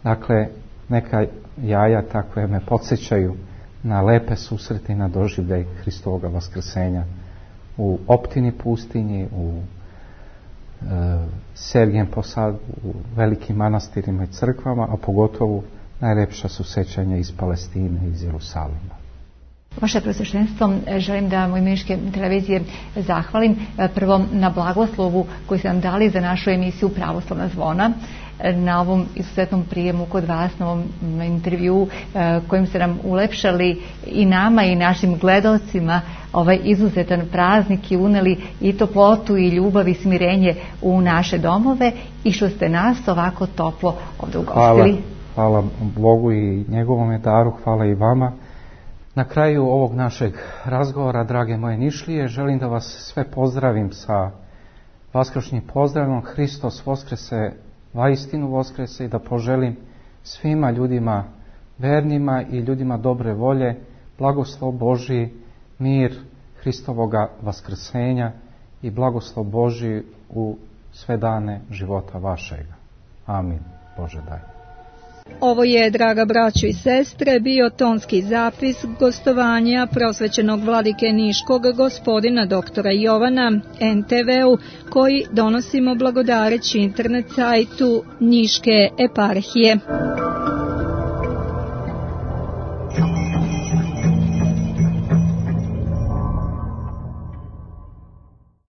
Dakle, neka jaja takve me podsjećaju na lepe susrete i na doživljaj Hristovoga vaskrsenja u Optini pustinji, u e, Sergijem posadu, u velikim manastirima i crkvama, a pogotovo najlepša su sećanja iz Palestine, iz Jerusalima. Vaše Preosveštenstvo, želim da u ime Niške televizije zahvalim prvo na blagoslovu koji ste nam dali za našu emisiju Pravoslavna zvona, na ovom izuzetnom prijemu kod vas, na ovom intervju kojim ste nam ulepšali i nama i našim gledalcima ovaj izuzetan praznik i uneli i toplotu i ljubav i smirenje u naše domove i što ste nas ovako toplo ovdje ugostili. Hvala, hvala Bogu i njegovom daru, hvala i vama. Na kraju ovog našeg razgovora, drage moje Nišlije, želim da vas sve pozdravim sa vaskršnjim pozdravom. Hristos voskrese, vaistinu voskrese, i da poželim svima ljudima vernima i ljudima dobre volje blagoslov Božji, mir Hristovoga vaskrsenja i blagoslov Božji u sve dane života vašega. Amin. Bože daj. Ovo je, draga braćo i sestre, bio tonski zapis gostovanja prosvećenog vladike Niškog gospodina doktora Jovana en te ve u, koji donosimo blagodareći internet sajtu Niške eparhije.